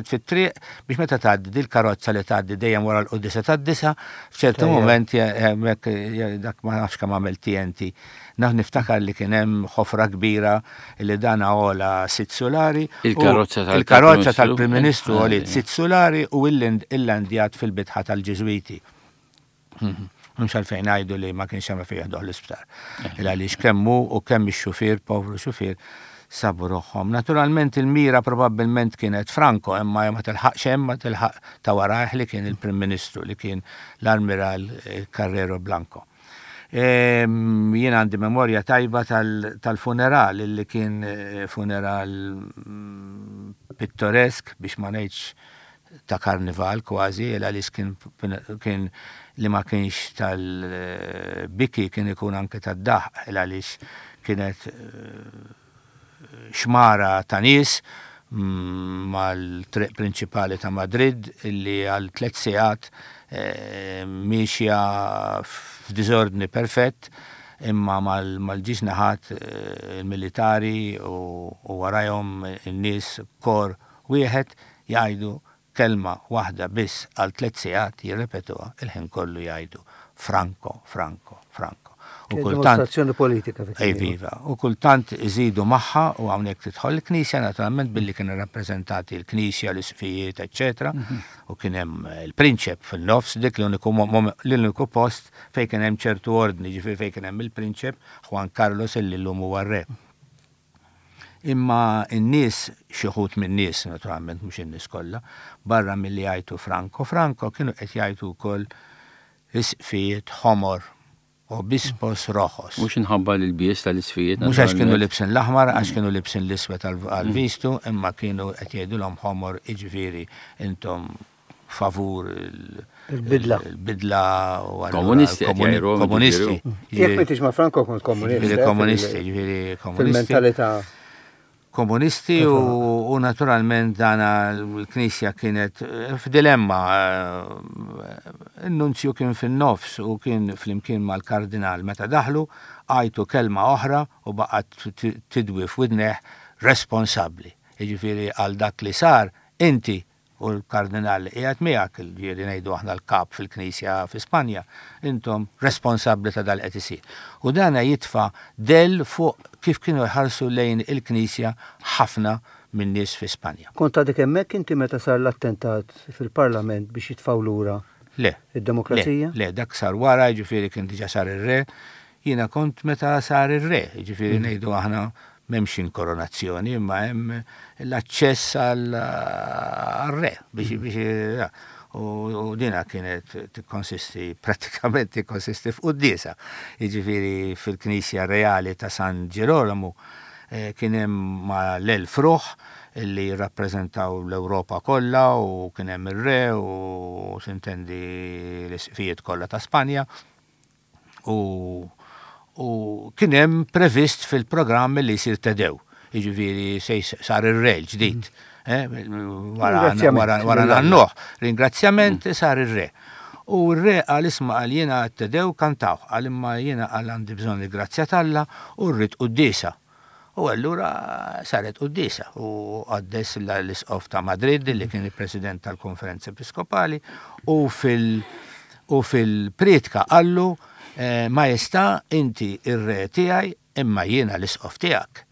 fit-triq biex meta tgħaddi dil-karozza li tgħaddi dejjem wara l-quddiesa tad-disa, f'ċertu Tajjeb. moment je- hemmhekk je- dak ma nafx kemm għamel T N T. Naf niftakar li kien hemm ħofra kbira li dana għola sitt sulari. u Il-karozza tal- Il-karozza tal-Prim tal-Prim Ministru Ministru. għolit sitt sulari u il-landjat fil-bitħa tal-Ġiżwiti. Mhux għalfejn ngħidu li ma kienx hemm fejn jeħduh l-isptar. Il għaliex kemm hu u kemm ix-xufier, povru xufier, sabu ruħhom. Naturalment il-mira probabbilment kienet Franco, imma ma tilħaqx hemm, ma tilħaq ta' warajh li kien il-Prim Ministru li kien l-Armiral eh, Carrero Blanco. Jien għandi memorja tajba tal-funeral, li kien eh, funeral mm, pittoresk, biex ma ngħidx ta' karnival kważi, għaliex kien, kien li ma kienx tal-biki kien ikun anke tad-daħq, għaliex kienet eh, xmara ta' nies mm, mal-triq prinċipali ta' Madrid illi għal tliet sigħat eh, miexja f'diżordni perfett, imma mal-ġiex naħat eh, il-militari u warajhom in-nies kor wieħed jgħidu kelma waħda biss għal tliet sigħat, jirrepetuha il-ħin kollu, jgħidu "Franco, Franco, Franco". U kultant dimostrazzjoni politika. Iva, u kultant iżidu magħha, u hawnhekk tidħol il-Knisja naturalment, billi kienu rappreżentati l-Knisja, l-isqfijiet, eċetera. Mhm. U kien hemm il-prinċep fil-nofs, dik l-uniku post fejn kien hemm ċertu ordni, ġifieri fejn kien hemm il-prinċep Juan Carlos, illi llum huwa re. Imma n-nies, xi wħud min-nies naturalment, mhux in-nies kollha, barra milli jgħidu "Franco, Franco", kienu qed jgħidu wkoll "isqfijiet ħomor", "obispos rojos". Mhux minħabba l-ilbies tal-isqfijiet. Mhux għax kienu libsin l-aħmar, għax kienu libsin l-iswed għal-vistu, imma kienu qed jgħidulhom ħomor, jiġifieri intom favur il-bidla. Il-bidla. Komunisti. Komunisti. Jekk m'intix ma' Franco kont komunisti. Ġifieri komunisti, ġifieri komunisti. Fil-mentalità. Komunisti u, u naturalment dana l-Knisja kienet f'dilemma. Il-nunzju kien fin-nofs u kien flimkien mal-kardinal. Meta daħlu, għajtu kelma oħra u baqgħet tidwi f'widnejh: "Responsabbli. Jiġifieri għal dak li sar, inti u l-kardinal li qiegħed miegħek", ġieli ngħidu aħna l-kap fil-Knisja fi Spanja, "intom responsabbli ta' dal qed isir." U dana jitfa' del fuq kif kienu jħarsu lejn il-Knisja ħafna minn nies fi Spanja. Kont għadek hemmhekk inti meta sar l-attentat fil-Parlament biex jitfgħu lura Le. id-demokrazija? Le, le, dak sar wara, ġifieri kien diġà sar ir-re. Jiena kont meta sar ir-re, ġifieri mm. ngħidu aħna m'hemmx inkoronazzjoni, imma hemm l-aċċess għal-re biex mm. biex u dina kienet tikkonsisti, pratikament tikkonsisti f'quddiesa. Jiġifieri fil-Knisja Reali ta' San Ġerolomu eh, kien hemm mal-elf ruħ li jirrappreżentaw l-Ewropa kollha, u kien hemm ir-re u s'intendi l-isqfijiet kollha ta' Spanja. U u kien hemm previst fil-programm li jsir Te Deum. Jiġifieri sar ir-re ġdid. Eh, wara nannuh. Ringrazzjament, sar ir-re. U r-re qal: "Isma'," qal, "jiena Te Deum kantawh," qal, "imma jiena," qal, "għandi bżonn il-grazzja t'Alla u rrid quddiesa." U allura saret quddiesa u qaddes l-isqof ta' Madrid, li kien il-president tal-Konferenza Episkopali, u fil- u fil-priedka qallu: eh, "Majestà, inti ir-re tiegħi, imma jiena l-isqof tiegħek.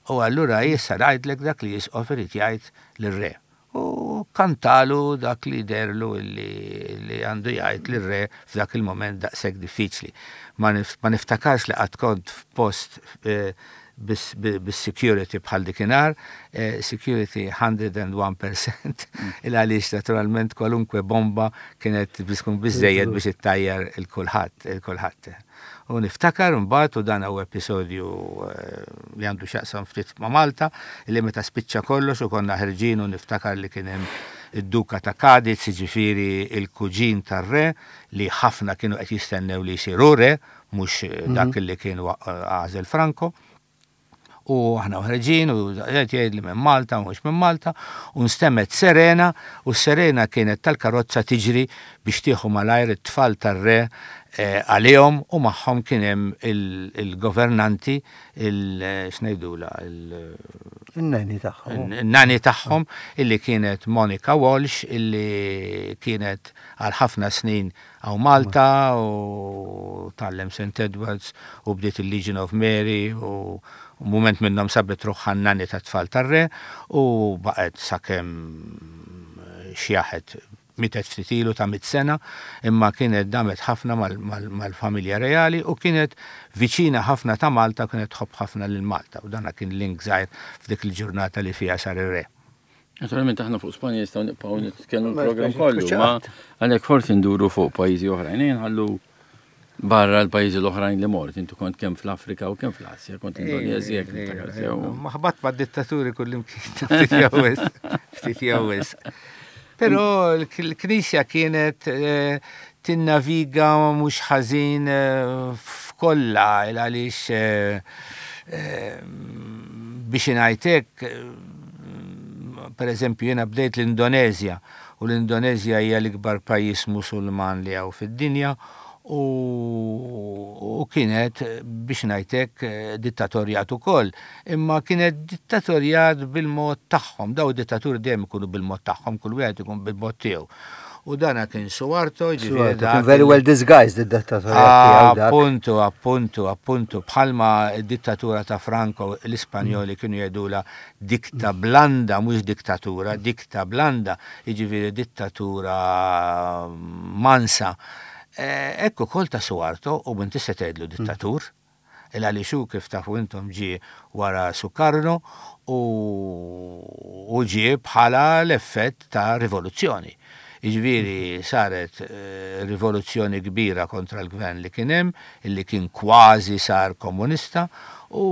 U allura issa ngħidlek dak li isqof irid jgħid lir-re." U kantalu dak li derlu li, li għandu jgħid lir-re f'dak il-moment daqshekk diffiċli. Ma, nif, ma niftakarx li qatt kont f'post eh, bis-security bħal dikinhar, eh, security mija u wieħed fil-mija, il għaliex naturalment kwalunkwe bomba kienet tkun biżżejjed biex ittajjar il-kulħadd, il-kulħadd. U niftakar mbagħad, u dan huwa episodju eh, li għandu x'jaqsam ftit ma' Malta, li meta spiċċa kollox u konna ħerġin, u niftakar li kien hemm id-Duka ta' Cadiz, ġifieri il-kuġin tar-re, li ħafna kienu qed jistennew li jsiru re, mhux dak li kien għażel Franco. U aħna ħerġin u qed jgħid li minn Malta, mhux minn Malta, u nstemgħet serena, u s-serena kienet tal-karozza tiġri biex tieħu malajr it-tfal tar-re eh, għalihom, u magħhom kien hemm il-governanti, il x'ngħidula, il-nanny tagħhom. Il-nanny tagħhom, illi kienet Monica Walsh, illi kienet għal ħafna snin hawn Malta u tgħallem Saint Edwards u bdiet il-Legion of Mary, u u moment minnhom sabet ruħha n-nanny ta' tfal tar-re u baqgħet sakemm xjaħet, mietet ftit ilu ta' mitt sena, imma kienet damet ħafna mal-familja reali u kienet viċina ħafna ta' Malta, kienet tħobb ħafna lil Malta, u dana kien link żgħir f'dik il-ġurnata li fiha sar ir-re. Naturalment aħna fuq Spanja nistgħu nibqgħu nitkellmu l-programm kollu, ma għalhekk forsi nduru fuq pajjiżi oħrajn, nħallu Barra l-pajjiżi l-oħrajn li mort, intu kont kemm fl-Afrika u kemm fl-Asja, kont Indonezja, Ma ħbatt ma' dittaturi kullimkien, ftit jew wisq, ftit jew wisq. Però l-Knisja kienet eh, tinnaviga mhux ħażin eh, f'kollha għaliex eh, biex ngħidlek, per eżempju jiena bdejt l-Indonezja u l-Indonezja hija l-ikbar pajjiż Musulman li hawn fid-dinja u, u kienet biex ngħidlek dittatorjat ukoll, imma kienet dittatorjat bil-mod tagħhom, daw dittaturi dejjem ikunu bil-mod tagħhom, kull wieħed ikun bil-mod tiegħu. U dana kien Suharto, ġifieri dak very well disguised id-dittatorjat tiegħu dak. Appuntu, appuntu, appuntu, bħalma id-dittatura ta' Franco l-Ispanjoli kienu jgħidula dicta blanda, mhux dittatura, dicta blanda, jiġifieri dittatura mansa. Ekku kol ta' Suharto u m'intix se tgħidlu dittatur, il għaliex hu kif tafu intom ġie wara Sukarno u, u ġie bħala l-effett ta' rivoluzzjoni. Jiġifieri saret eh, rivoluzzjoni kbira kontra l-gvern li kien hemm, illi kien kważi sar komunista u,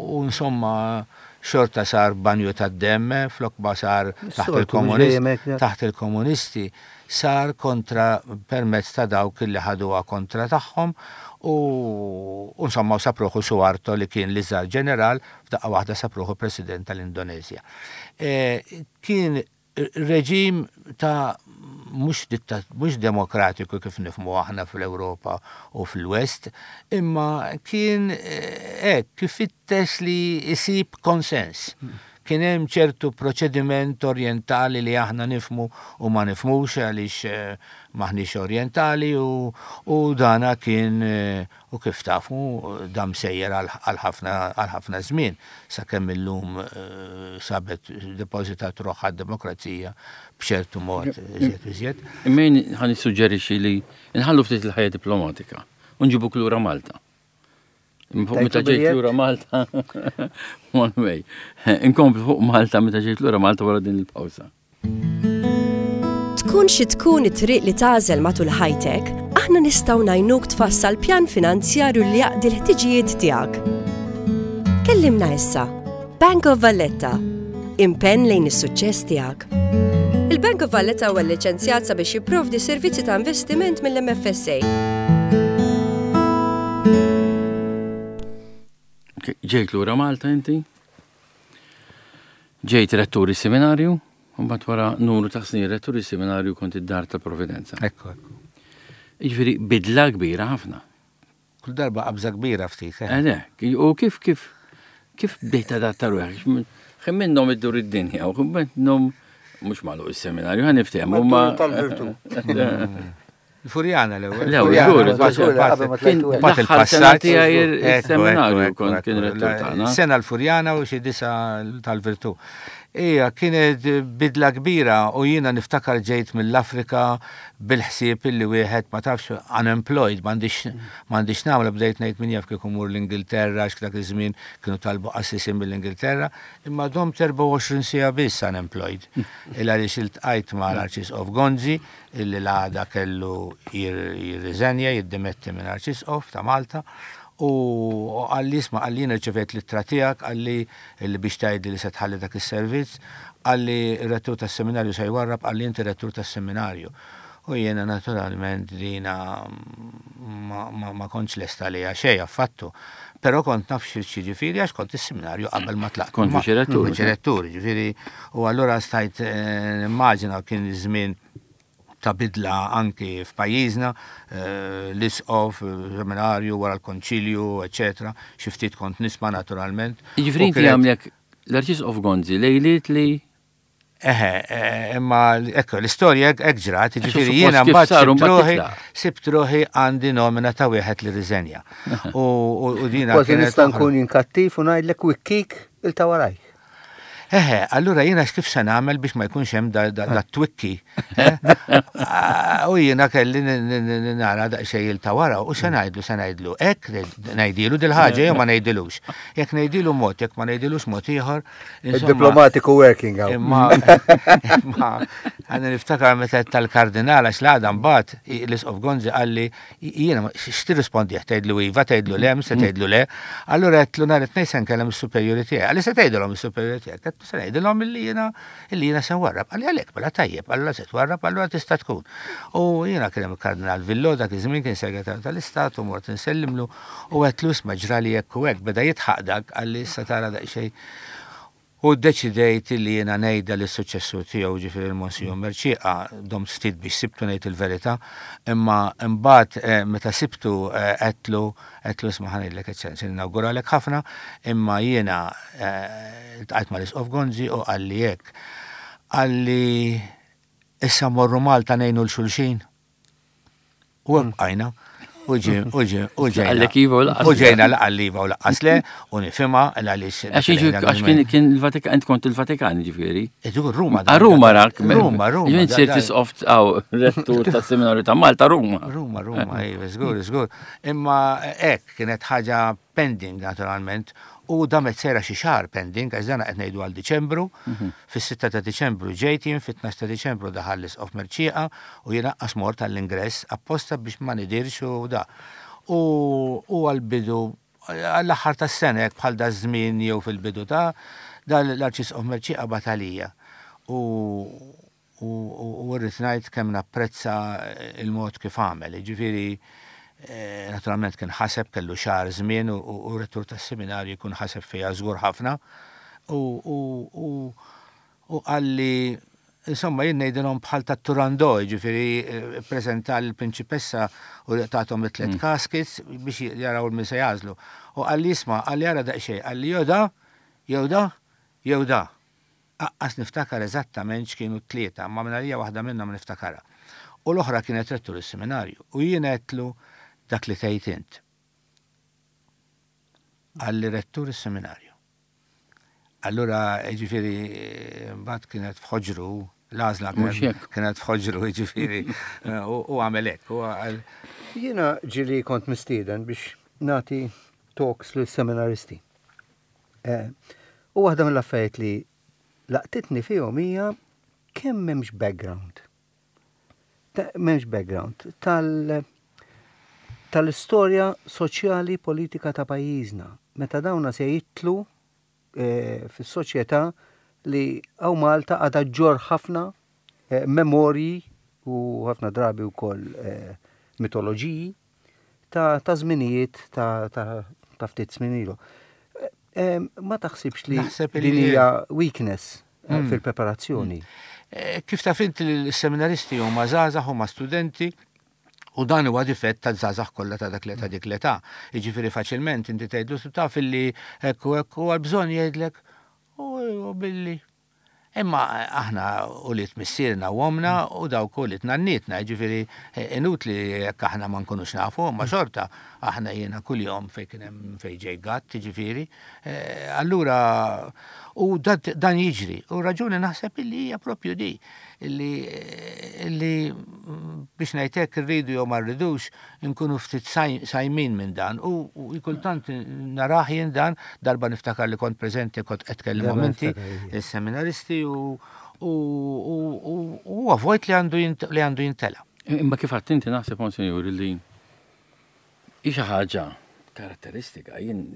u insomma xorta sar banju ta' demm, flok ma sar taħt il-komunisti, taħt il-komunisti sar kontra permezz ta' dawk li ħaduha kontra tagħhom u insomma sab ruħu Suharto li kien l-iżgħar ġeneral f'daqqa waħda sab ruħu president tal-Indonezja. E, kien reġim ta' mhux mhux demokratiku kif nifhmu aħna fl-Ewropa u fil-West, imma kien hekk kif fittex li jsib konsens. Kien hemm ċertu proċediment orientali li aħna nifhmu u ma nifhmux għaliex maħniex orientali u, u dana kien u kif tafu dam sejjer għal ħafna żmien sakemm illum sabet depożitat ruħha d-demokrazija b'ċertu mod iżjed iżjed. Imma ħa nissuġġerixxi li nħallu ftit il-ħajja diplomatika u nġibuk lura Malta. Fuq meta ġejt lura Malta, one way. Inkomplu fuq Malta meta ġejt lura Malta wara din il-pawsa. Tkun xi tkun it-triq li tagħżel matul ħajtek, aħna nistgħu ngħinuk tfassal pjan finanzjarju li jaqdi l-ħtiġijiet tiegħek. Kellimna issa. Bank of Valletta. Impenn lejn is-suċċess tiegħek. Il-Bank of Valletta huwa liċenzjat sabiex jipprovdi servizzi ta' investiment mill-M F S A. Ġejt lura Malta inti? Ġejt rettur is-seminarju, u mbagħad wara numru ta' snin rettur is-seminarju kont id-Dar tal-Providenza. Ekku, ekku. Jiġifieri bidla kbira ħafna. Kull darba qabża kbira ftit. Eh, le, u kif kif kif bdejt tadatta ruħek? Xejn minnhom iddur id-dinja u minnhom mhux magħluq is-seminarju, ħa niftehmu ma. Tal-virtù. Il-Furjana l-ewwel. L-ewwel, żgur, il-passaġġ tiegħi il-seminarju kont kien rettur tagħna. Sena l-Furjana u xi disa tal-Virtù. Ija, kienet bidla kbira u jiena niftakar ġejt mill-Afrika bil-ħsieb illi wieħed ma tafx unemployed, m'għandix m'għandix nagħmel, bdejt ngħid min jaf kieku mur l-Ingilterra, għax dak iż-żmien kienu talbu qassisin mill-Ingilterra, imma domt erbgħa u għoxrin siegħa biss unemployed. Il għaliex iltqajt ma' l-Arċisqof Gonzi, illi l-għada kellu jirriżenja, jiddimetti minn Arċisqof ta' Malta, u qalli isma', qalli rċevejt l-ittra tiegħek, qalli illi biex tgħidli li se tħalli dak is-servizz, qalli r-rettur tas-seminarju se jwarrab, qalli inti rettur tas-seminarju. U jiena naturalment dina ma, ma, ma kontx lesta li xejn affattu. Però kont naf xi ġifieri għax kont is-seminarju qabel ma tlaqt. Kont viċi-rettur. Viċi-rettur, ġifieri, u allura stajt nimmaġina kien żmien ta' bidla anki f'pajjiżna, l-isqof, seminarju, wara l-konċilju, eċetera. Xi ftit kont nisma' naturalment. Jiġifieri inti għamlek l-Arċisqof Gonzi lejliet li Eħe, imma ekku, l-istorja hekk ġrat, jiġifieri jiena mbagħad sibt ruħi, sibt ruħi għandi nomina ta' wieħed li riżenja. U dina Kważi nista' nkun inkattiv u ngħidlek wikkik il ta' warajk. Eħe, allura jiena kif se nagħmel biex ma jkunx hemm da, da, da twikki. eh? Ah, U jiena kelli n- n- n- nara daqsxejn ta' wara u se ngħidlu se ngħidlu hekk ngħidilu dil-ħaġa jew ma ngħidilux. Jekk ngħidilu mod, jekk ma ngħidilux mod ieħor. insomma, Il-diplomatiku working out. Imma, imma, għanna niftakar meta tal-kardinal għax l-għada mbagħad l-Isqof Gonzi qalli jiena x'tirrispondi tgħidlu iva, tgħidlu le, se tgħidlu le. Allura għedtlu nhar it-tnejn se nkellem is-superjuri tiegħi. Qalli se tgħidilhom is-superjuri tiegħek. Għedtlu se ngħidilhom illi jiena illi jiena se nwarrab. Qalli għalhekk mela tajjeb, allura se twarrab, allura tista' tkun. U jiena kien hemm il-Kardinal Villot dak iż-żmien kien segretarju tal-Istat u mort insellimlu u għedtlu isma' ġrali hekk u hekk beda jidħaq dak qalli issa tara daqsxejn. U deċidejt li jiena ngħidha lis-suċċessur tiegħu ġifieri il-Monsinjur Mercieca, domt ftit biex sibtu ngħid il-verità, imma imbagħad eh, meta sibtu eh, għedtlu għedtlu isma' ħa ngħidlek eċċellenza, nawguralek ħafna, imma jiena eh, iltqajt mal-Isqof Gonzi u qalli hekk. Qalli issa morru Malta ngħinu 'l xulxin. U hekk bqajna. U ġi, u ġi, u ġejna. Qallek iva u lanqas U le. ġejna la qalli iva u lanqas le, u nifhimha għaliex. Għax jiġu- għax kien kien il-Vatikan, int kont il-Vatikan ġifieri. Idu Ruma. Ah, Ruma rak. Ruma, Ruma. Ġifieri da- sirt da- isqof għaw rettur tas-seminarju ta' Malta, Ruma. Ruma, Ruma, iva, żgur, żgur. Imma hekk kienet ħaġa pending naturalment u damet sejra xi xahar pending għax dan qed ngħidu għal Diċembru. Fis-sitta ta' Diċembru ġejt jien, fit-tnax ta' Diċembru daħal l-Isqof Mercieca u jiena qas mort għall-ingress apposta biex ma nidirx u da. U u għal-bidu għall-aħħar tas-sena hekk bħal da żmien jew fil-bidu ta' dan l-Arċisqof Mercieca bagħat għalija. U u u rrid ngħid kemm napprezza il-mod kif għamel. Ġifieri eh, naturalment kien ħaseb kellu xahar żmien u, u, u rettur tas-seminarju jkun ħaseb fiha żgur ħafna. U u u u qalli insomma jien ngħidilhom bħal ta' Turandot, ġifieri eh, preżenta l-prinċipessa u tathom it-tliet caskets biex jaraw min se jagħżlu. U qalli isma' qalli ara daqsxejn, qalli jew da, jew da, jew da. Aqqas niftakar eżattament x'kienu t-tlieta, ma minn għalija waħda minnhom niftakarha. U l-oħra kienet rettur is-seminarju. U jien għedtlu dak li tgħid int. Qalli rettur is-seminarju. Allura, ġifieri, mbagħad kienet f'ħoġru, l-għażla Mhux kienet- hekk. kienet f'ħoġru, ġifieri, u u għamel hekk. U għal- Jiena ġieli kont mistieden biex nati talks lil seminaristi. Eh, U waħda mill-affarijiet li laqtitni fihom hija kemm m'hemmx background. Ta- M'hemmx background tal tal-istorja soċjali politika ta' pajjiżna. Meta dawna se jidħlu eh, fis-soċjetà li hawn Malta għadha ġġorr ħafna eh, memorji u ħafna drabi wkoll eh, mitoloġiji ta' ta' żminijiet ta' ta' ta' ftit żmien ilu. Eh, eh, Ma taħsibx li Naħseb din li- hija weakness eh, Mm. fil-preparazzjoni. Eh, Kif taf inti l-seminaristi huma żgħażagħ huma studenti u dan huwa difett ta' żgħażagħ kollha ta' dak ta' dik l-età. Jiġifieri faċilment inti tgħidlu taf illi hekk u hekk u għal bżonn jgħidlek u u billi. Imma aħna ulied missierna u omna u dawk ulied nannietna, ġifieri eh, inutli jekk aħna ma nkunux nafu, ma xorta aħna jiena kuljum fejn kien hemm fejn ġej gatt, ġifieri. Eh, Allura u dat- dan jiġri. U raġuni naħseb illi hija propju di illi illi mm, biex ngħidlek irridu jew ma rridux nkunu ftit saj- sajmin minn dan u u kultant narah jien dan darba niftakar li kont preżenti kont qed tkellimhom Darba inti niftakar, ija. il-seminaristi u u u u u huwa vojt li għandu jint- li għandu jintela. Imma kif għedt inti naħseb Monsinjur li hi xi ħaġa karatteristika jien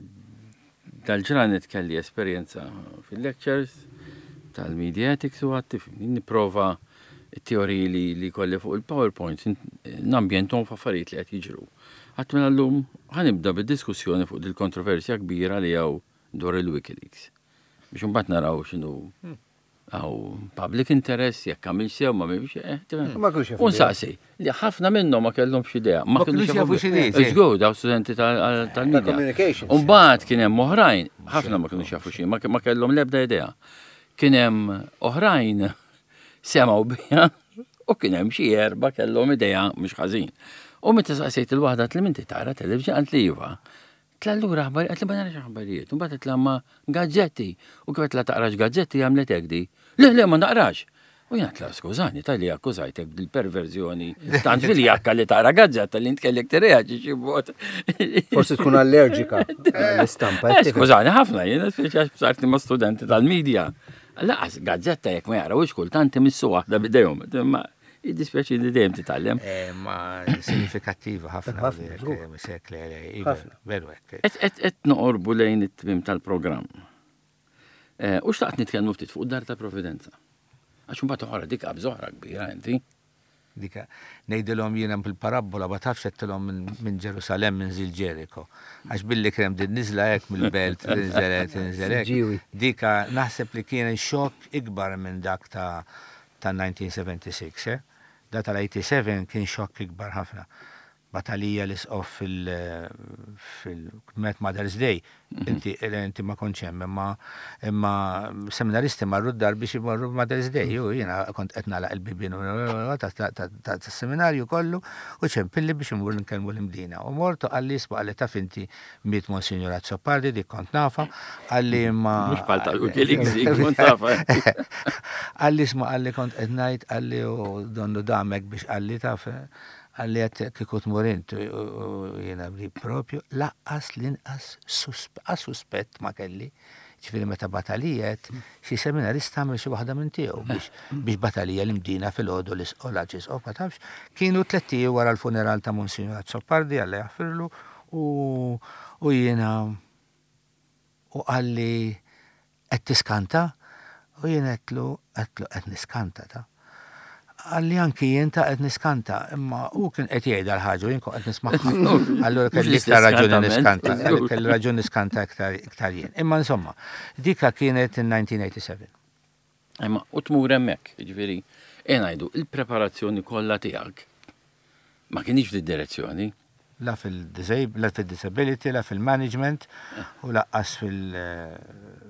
dal-ġranet kelli esperjenza fil-lectures tal-media ethics u għedt nipprova it-teoriji li, li kolli fuq il-PowerPoint nambjentom f'affarijiet li qed jiġru. Għedt mela llum ħa nibda bid-diskussjoni fuq dil-kontroversja kbira li hawn dwar il-Wikileaks. Biex imbagħad naraw x'inhu hawn public interest, jekk għamil sew ma mhix. eh, tifhem? Ma kinux jafu U nsaqsi, li ħafna minnhom ma kellhomx idea. Ma kinux jafu x'inhi, sì. Żgur, daw studenti tal- tal-media. communications. Umbagħad kien hemm oħrajn, ħafna ma kinux jafu xi, ma ma kellhom l-ebda idea. Kien hemm oħrajn semgħu biha u kien hemm xi erba' kellhom idea mhux ħażin. U meta saqsejt il-waħda li minti tara television għand li iva. Għedtla allura aħbarijiet, għedtla ma narax aħbarijiet, u mbagħad għedtla ma gazzetti, u kif għedtla taqrax gazzetti għamlet hekk di. Le, le, ma naqrax. U jien għedtla skużani, talli akkużajtek bil-perverżjoni tant fil-jakka li taqra gazzetta li int kellek tirreaġi xi mod. Forsi tkun allerġika l-istampa. Eh, skużani ħafna, jiena speċi għax ma' studenti tal-medja. Lanqas gazzetta jekk ma jarawx kultant imissu waħda bidejhom. Ma jiddispjaċi li dejjem titgħallem. Eh, ma sinifikattiva ħafna. Ħafna, veru hekk. Et noqorbu lejn it-tmim tal-programm. Eh, u xtaqt nitkellmu ftit fuq dar ta' Providenza. Għax mbagħad oħra dik qabża oħra kbira inti. Dika ngħidilhom jiena fil-parabbola ma tafx għedtilhom minn Ġerusalem minn zil Ġeriko. Għax billi krem din niżla hekk mill-belt tinżel tinżel hekk. Dika naħseb li kien xokk ikbar minn dak ta' ta' elf disa' mija u sitta u sebgħin, eh? Da tal-tmienja u sebgħin kien xokk ikbar ħafna. Batalija l-isqof fil-Met Mother's Day, inti inti ma kontx hemm, imma imma seminaristi marru d-dar biex imorru Mother's Day, u jiena kont qed nagħlaq il-bibien tas-seminarju kollu u ċempilli biex imur nkellmu l-Imdina. U mortu qalli isma' qalli taf inti miet Monsignor Azzopardi, dik kont nafa, qalli ma. Mhux bħal tal kont nafa. Qalli isma' qalli kont qed ngħid qalli u donnu damek biex qalli taf qalli għedt kieku tmur int u jiena li propju lanqas l-inqas suspett ma kelli. Ġifieri meta batalijet, xi seminarista għamel xi waħda minn tiegħu biex biex batalija l-Imdina fil-għodu l-isqola ma tafx, kienu tlett wara l-funeral ta' Monsignor Azzopardi Alla jaħfirlu u jiena u qalli qed tiskanta u jiena għedtlu għedtlu qed niskanta ta' qalli anki jien ta' qed niskanta, imma u kien qed jgħid l-ħaġa u jien kont qed nismagħha. Allura kelli iktar raġuni niskanta, kelli raġuni niskanta iktar jien. Imma insomma, dika kienet in elf disa' mija u sitta u sebgħin. Imma u tmur hemmhekk, jiġifieri, ngħidu il-preparazzjoni kollha tiegħek ma kienx fid-direzzjoni. La fil-disability, la fil-management u lanqas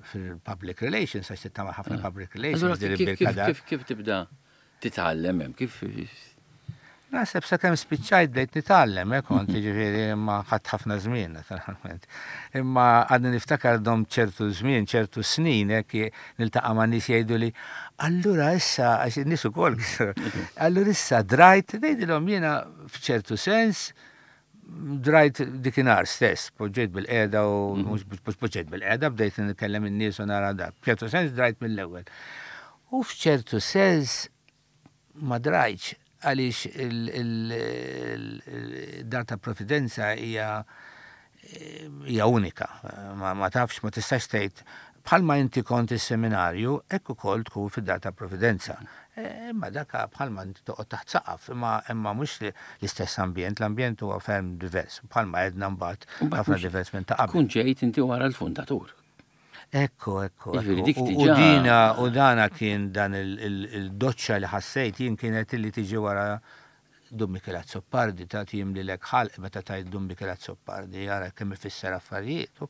fil-public relations, għax tagħmel ħafna public relations. Kif kif tibda titgħallem hemm, kif? Naħseb sa kemm spiċċajt bdejt nitgħallem, eh, kont ġifieri imma ħadt ħafna żmien naturalment. Imma għadni niftakar dom ċertu żmien, ċertu snin, hekk niltaqa' ma' nies jgħidu li allura issa għax in-nies ukoll allura issa drajt, ngħidilhom jiena f'ċertu sens drajt dikinhar stess, poġġejt bil-qeda u mhux poġġejt bil-qeda, bdejt nitkellem in-nies u nara dak. F'ċertu sens drajt mill-ewwel. U f'ċertu sens ma drajtx għaliex il-dar ta' Providenza hija hija unika. Ma, ma tafx, ma tistax tgħid bħalma inti kont is-seminarju, hekk ukoll tkun fid-dar ta' Providenza. Imma daka bħalma inti toqgħod taħt saqaf, imma imma mhux l-istess ambjent, l-ambjent huwa ferm divers, bħalma għedna mbagħad ħafna divers minn ta' qabel. Kun ġejt inti wara l-fundatur. Ekku, ekku. U dina, u dana kien dan il-doċċa li ħassejt jien kienet li tiġi wara Dun Mikiel Azzopardi, ta' jimlilek ħalq meta tgħid Dun Mikiel Azzopardi, jara kemm ifisser affarijiet.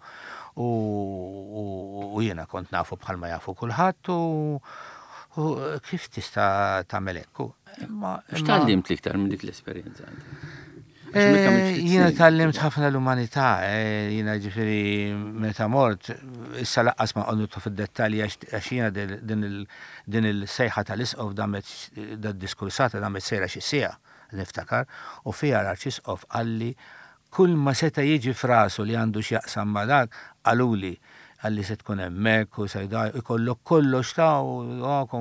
U jiena kont nafu bħalma jafu kulħadd u kif tista' tagħmel hekk. X'tgħallimt l-iktar minn dik l-esperjenza? Jiena tgħallimt ħafna l-umanità, jiena ġifieri meta mort, issa lanqas ma qogħdu fid-dettalji għax jiena din il-sejħa tal-isqof damet da diskursata damet sejra xi siegħa niftakar, u fiha l-arċisqof qalli kull ma seta' jiġi f'rasu li għandu x'jaqsam ma dak qaluli qalli se tkun hemmhekk u se jkollok kollox ta' u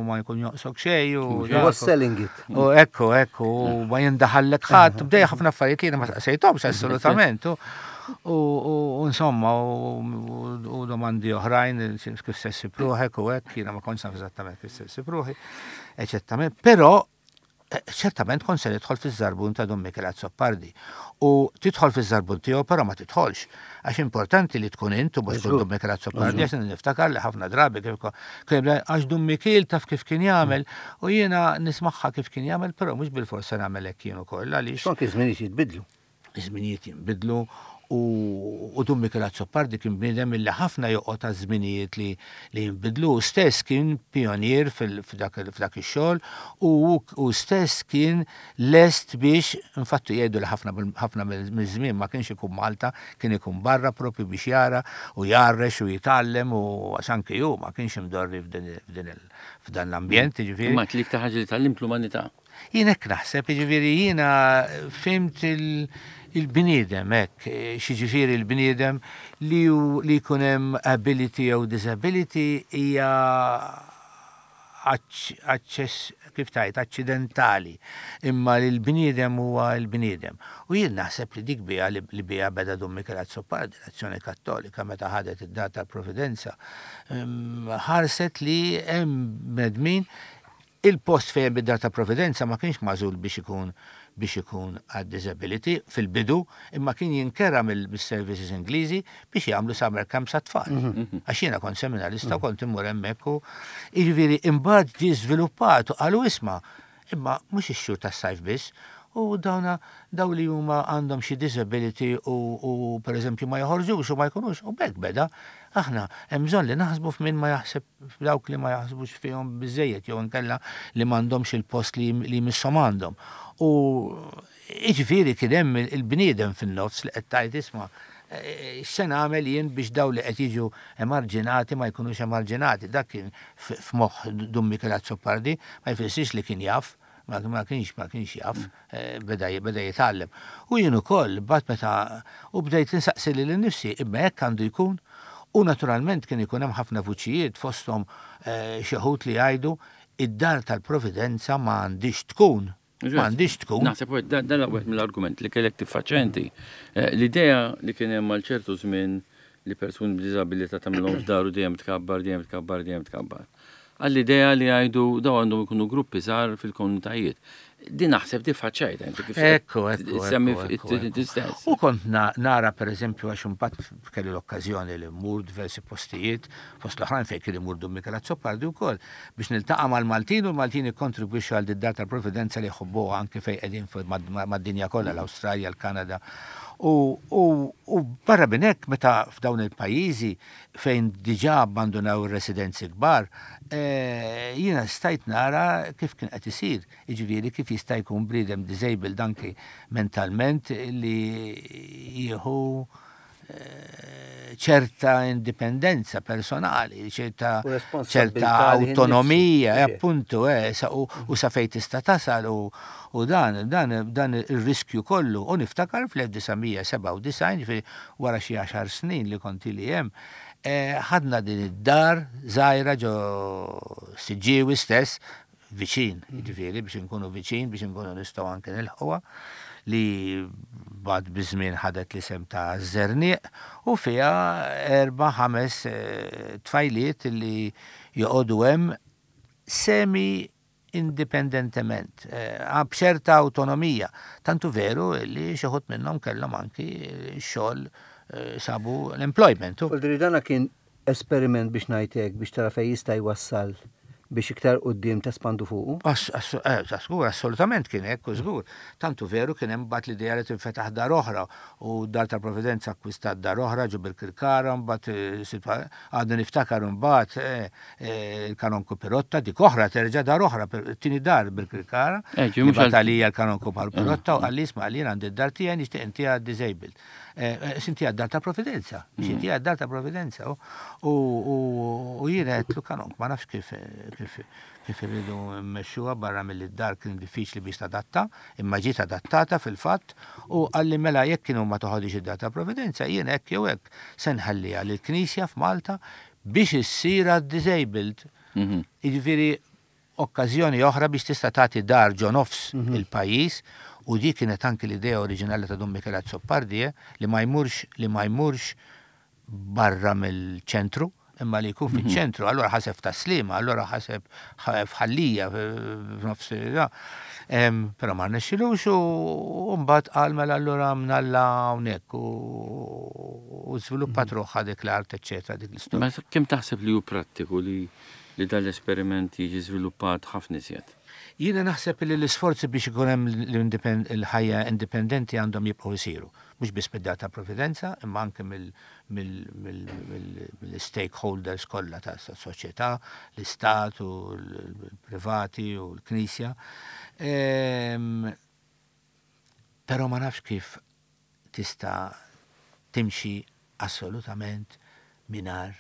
ma jkun joqsok xejn u was selling it. U ekku, ekku, u ma jindaħallek ħadd, bdej ħafna affarijiet li ma saqsejthomx assolutament. U insomma, u domandi oħrajn kif se ssib ruħek u hekk, jiena ma kontx naf eżattament kif se ssib ruħi, eċettament, però ċertament kont se nidħol fiż-żarbun ta' Dun Mikiel Azzopardi. U tidħol fiż-żarbun tiegħu però ma tidħolx. Għax importanti li tkun int u mhux tkun Dun Mikiel Azzopardi, għax niftakar li ħafna drabi kif għax Dun Mikiel taf kif kien jagħmel u jiena nismagħha kif kien jagħmel, però mhux bil-forsa nagħmel hekk jien ukoll għaliex. Anke żminijiet jitbidlu. Iż-żminijiet jinbidlu U Dun Mikiel Azzopardi kien bniedem illi ħafna joqgħod ta' żminijiet li li jinbidlu, stess kien pionier f'dak ix-xogħol u stess kien lest biex, infatti jgħidu li ħafna ħafna miż-żmien ma kienx ikun Malta, kien ikun barra propju biex jara u jgħarrex u jitgħallem, u għax anke hu ma kienx imdorri f'dan l-ambjent, jiġifieri. Imma l-iktar ħaġa li tgħallimt l-umanità. Jien hekk naħseb, jiġifieri jiena fhimt il-bniedem hekk, x'jiġifieri l-bniedem li li jkun hemm ability jew disability hija aċċess, kif tajt, aċċidentali, imma li l-bniedem huwa l-bniedem. U jien naħseb li dik bija li bija beda Dun Mikiel Azzopardi, l-Azzjoni Kattolika, meta ħadet id-dar tal-Providenza, ħarset li hemm bnedmin. Il-post fejn bid-dar ta' Providenza ma kienx magħżul biex ikun biex ikun għad disability fil-bidu, imma kien jinkera mill-services Ingliżi biex jagħmlu summer camps għat-tfal. Mhm. Għax jiena kont seminarista, kont immur hemmhekk u jiġifieri imbagħad ġie żviluppat u qalu isma', imma mhux ix-xhur tas-sajf biss, u dawna daw li huma għandhom xi disability u, u per eżempju ma joħorġux u ma jkunux, u b'hekk beda. Aħna hemm bżonn li naħsbu f'min ma jaħseb, f'dawk li ma jaħsbux fihom biżejjed jew inkella li m'għandhomx il-post li li misshom għandhom. U jiġifieri kien hemm il-bniedem fin-nofs li qed tgħid isma', x'se nagħmel jien biex daw li qed jiġu emarġinati ma jkunux emarġinati. Dak kien f'moħħ Dun Mikiel Azzopardi, ma jfissirx li kien jaf, ma kienx ma kienx jaf, beda beda jitgħallem. U jien ukoll bad meta u bdejt insaqsi lili nnifsi, imma hekk għandu jkun. U naturalment kien ikun hemm ħafna vuċijiet, fosthom xi wħud li jgħidu id-dar tal-Providenza ma għandix tkun. Ma għandix tkun. Naħseb dan wieħed mill-argument li kellek tiffaċċja inti. L-idea li kien hemm għal ċertu żmien li persuni b'diżabilità tagħmilhom f'daru dejjem tkabbar, dejjem tkabbar, dejjem tkabbar. Għall-idea li jgħidu daw għandhom ikunu gruppi żgħar fil-komunitajiet. Din naħseb tiffaċċjajta inti kif Ekku, ekku, semmi ekku, stess. U kont nara per eżempju, għax imbagħad kelli l-okkażjoni li mmur diversi postijiet, fost l-oħrajn fejn kien imur Dun Mikiel Azzopardi wkoll, biex niltaqa' mal-Maltin u l-Maltin ikkontribwixxu għal dar tal-Providenza li jħobbuha anke fejn qegħdin mad-dinja kollha, l-Awstralja, l-Kanada. U, u, u barra minn hekk, meta f'dawn il-pajjiżi fejn diġà abbandunaw ir-residenzi kbar, jiena stajt nara kif kien qed isir, jiġifieri kif jista' jkun bniedem disabled anki mentalment li jieħu ċerta indipendenza personali, ċerta ċerta autonomija, appuntu, eh, u, u sa fejn tista' tasal u, u dan, dan, dan ir-riskju kollu. U niftakar fl-elf disa' mija sebgħa u disgħin, ġifieri wara xi għaxar snin li kont ili hemm, ħadna din id-dar żgħira ġo Siġġiewi stess, viċin, ġifieri biex inkunu viċin, biex inkunu nistgħu anke nilħquha, li bad biż-żmien ħadet l-isem ta' Żerniq, u fiha erba' ħames tfajliet li joqogħdu hemm semi indipendentement, b'ċerta autonomija. Tantu veru li xi wħud minnhom kellhom anki xogħol, sabu l-employment. U dana kien esperiment, biex ngħidlek, biex tara fejn jista' jwassal biex iktar quddiem tespandu fuqu? Żgur, assolutament kien hekk, żgur. Tantu veru kien hemm mbagħad l-idea li tinfetaħ dar oħra u dar tal-Providenza akkwistat dar oħra ġo Birkirkara, mbagħad għadni niftakar mbagħad il-Kanonku Pirotta, dik oħra terġa' dar oħra, tieni dar Birkirkara. Mbagħad għalija l-Kanonku Pirotta u qalli isma', għalija għandi d-dar tiegħi, nixtieq intiha disabled. Intiha dar ta' Providenza, intiha dar ta' Providenza. U jiena għedtlu, Kanonk, ma nafx kif kif kif irridu mmexxuha, barra mill-dar kien diffiċli biex tadatta, imma ġiet adattata fil-fatt, u qalli mela jekk kienu ma toħodix id-dar ta' Providenza, jien hekk jew hekk se nħalliha lill-Knisja f'Malta biex issir disabled. Jiġifieri okkażjoni oħra biex tista' tagħti dar ġo nofs il-pajjiż, u di kienet anki l-idea oriġinali ta' Dun Mikiel Azzopardi, li ma jmurx li ma jmurx barra mill-ċentru, imma li jkun fiċ-ċentru. Allora ħaseb Tas-Sliema, allora ħaseb f'Ħal Lija, f'nofs. Però ma rnexxilux u mbagħad qal mela allura mnalla hawnhekk u żviluppat ruħha dik l-art, eċċetera, dik l-istorja. Ma kemm taħseb li hu prattiku li li dal-esperiment jiġi żviluppat ħafna iżjed. Jiena naħseb li l-isforzi biex ikun hemm l-ħajja indipendenti għandhom jibqgħu jsiru. Mhux biss mid-Dar ta' Providenza, imma anke mill-stakeholders kollha tas-soċjetà, l-istat u l-privati u l-Knisja. Ehm, però ma nafx kif tista' timxi assolutament mingħajr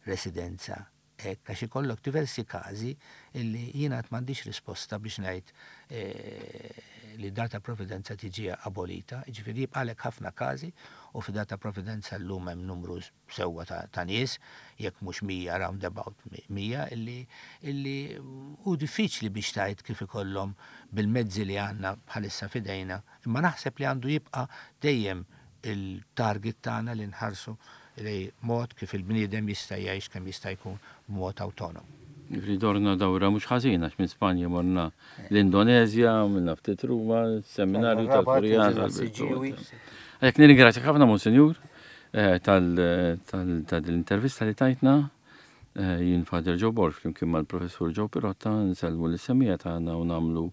residenza hekk, għax ikollok diversi każi illi jiena għad m'għandix risposta biex ngħid eh, li Dar ta' Providenza tiġi abolita, jiġifieri jibqalek ħafna każi u fi Dar ta' Providenza llum hemm numru sewwa ta', ta' nies, jekk mhux mija, round about mija, illi, illi hu diffiċli biex tgħid kif ikollhom bil-mezzi li għandna bħalissa f'idejna, imma naħseb li għandu jibqa' dejjem il-target tagħna li nħarsu li mod kif il-bniedem jista' jgħix kemm jista' jkun b'mod awtonom. Jiġifieri dorna dawra mhux ħażin, għax minn Spanja morna l-Indonezja, minna ftit Ruma, seminarju tal-Furjana. Għalhekk nirringrazzjak ħafna, Monsinjur, eh, tal-intervista li tajtna. Eh, jien Father Joe Borg flimkien mal-Professur Joe Pirotta nsellmu lis-semmiegħa tagħna u nagħmlu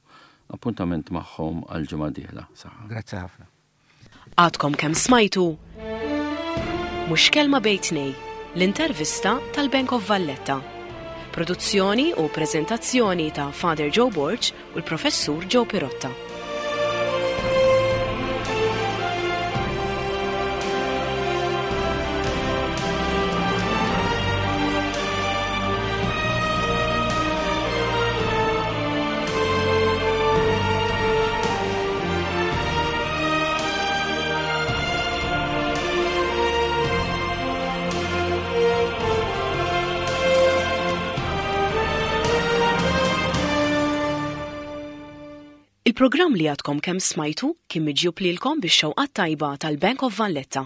appuntament magħhom għal ġimgħa dieħla. Saħħa. Grazzi ħafna. Għadkom kemm smajtu Mhux Kelma Bejn Tnejn, l-intervista tal-Bank of Valletta. Produzzjoni u prezentazzjoni ta' Father Joe Borg u l-Professur Joe Pirotta. Il-programm li għadkom kemm smajtu kien miġjub lilkom bix-xewqat tajba tal-Bank of Valletta.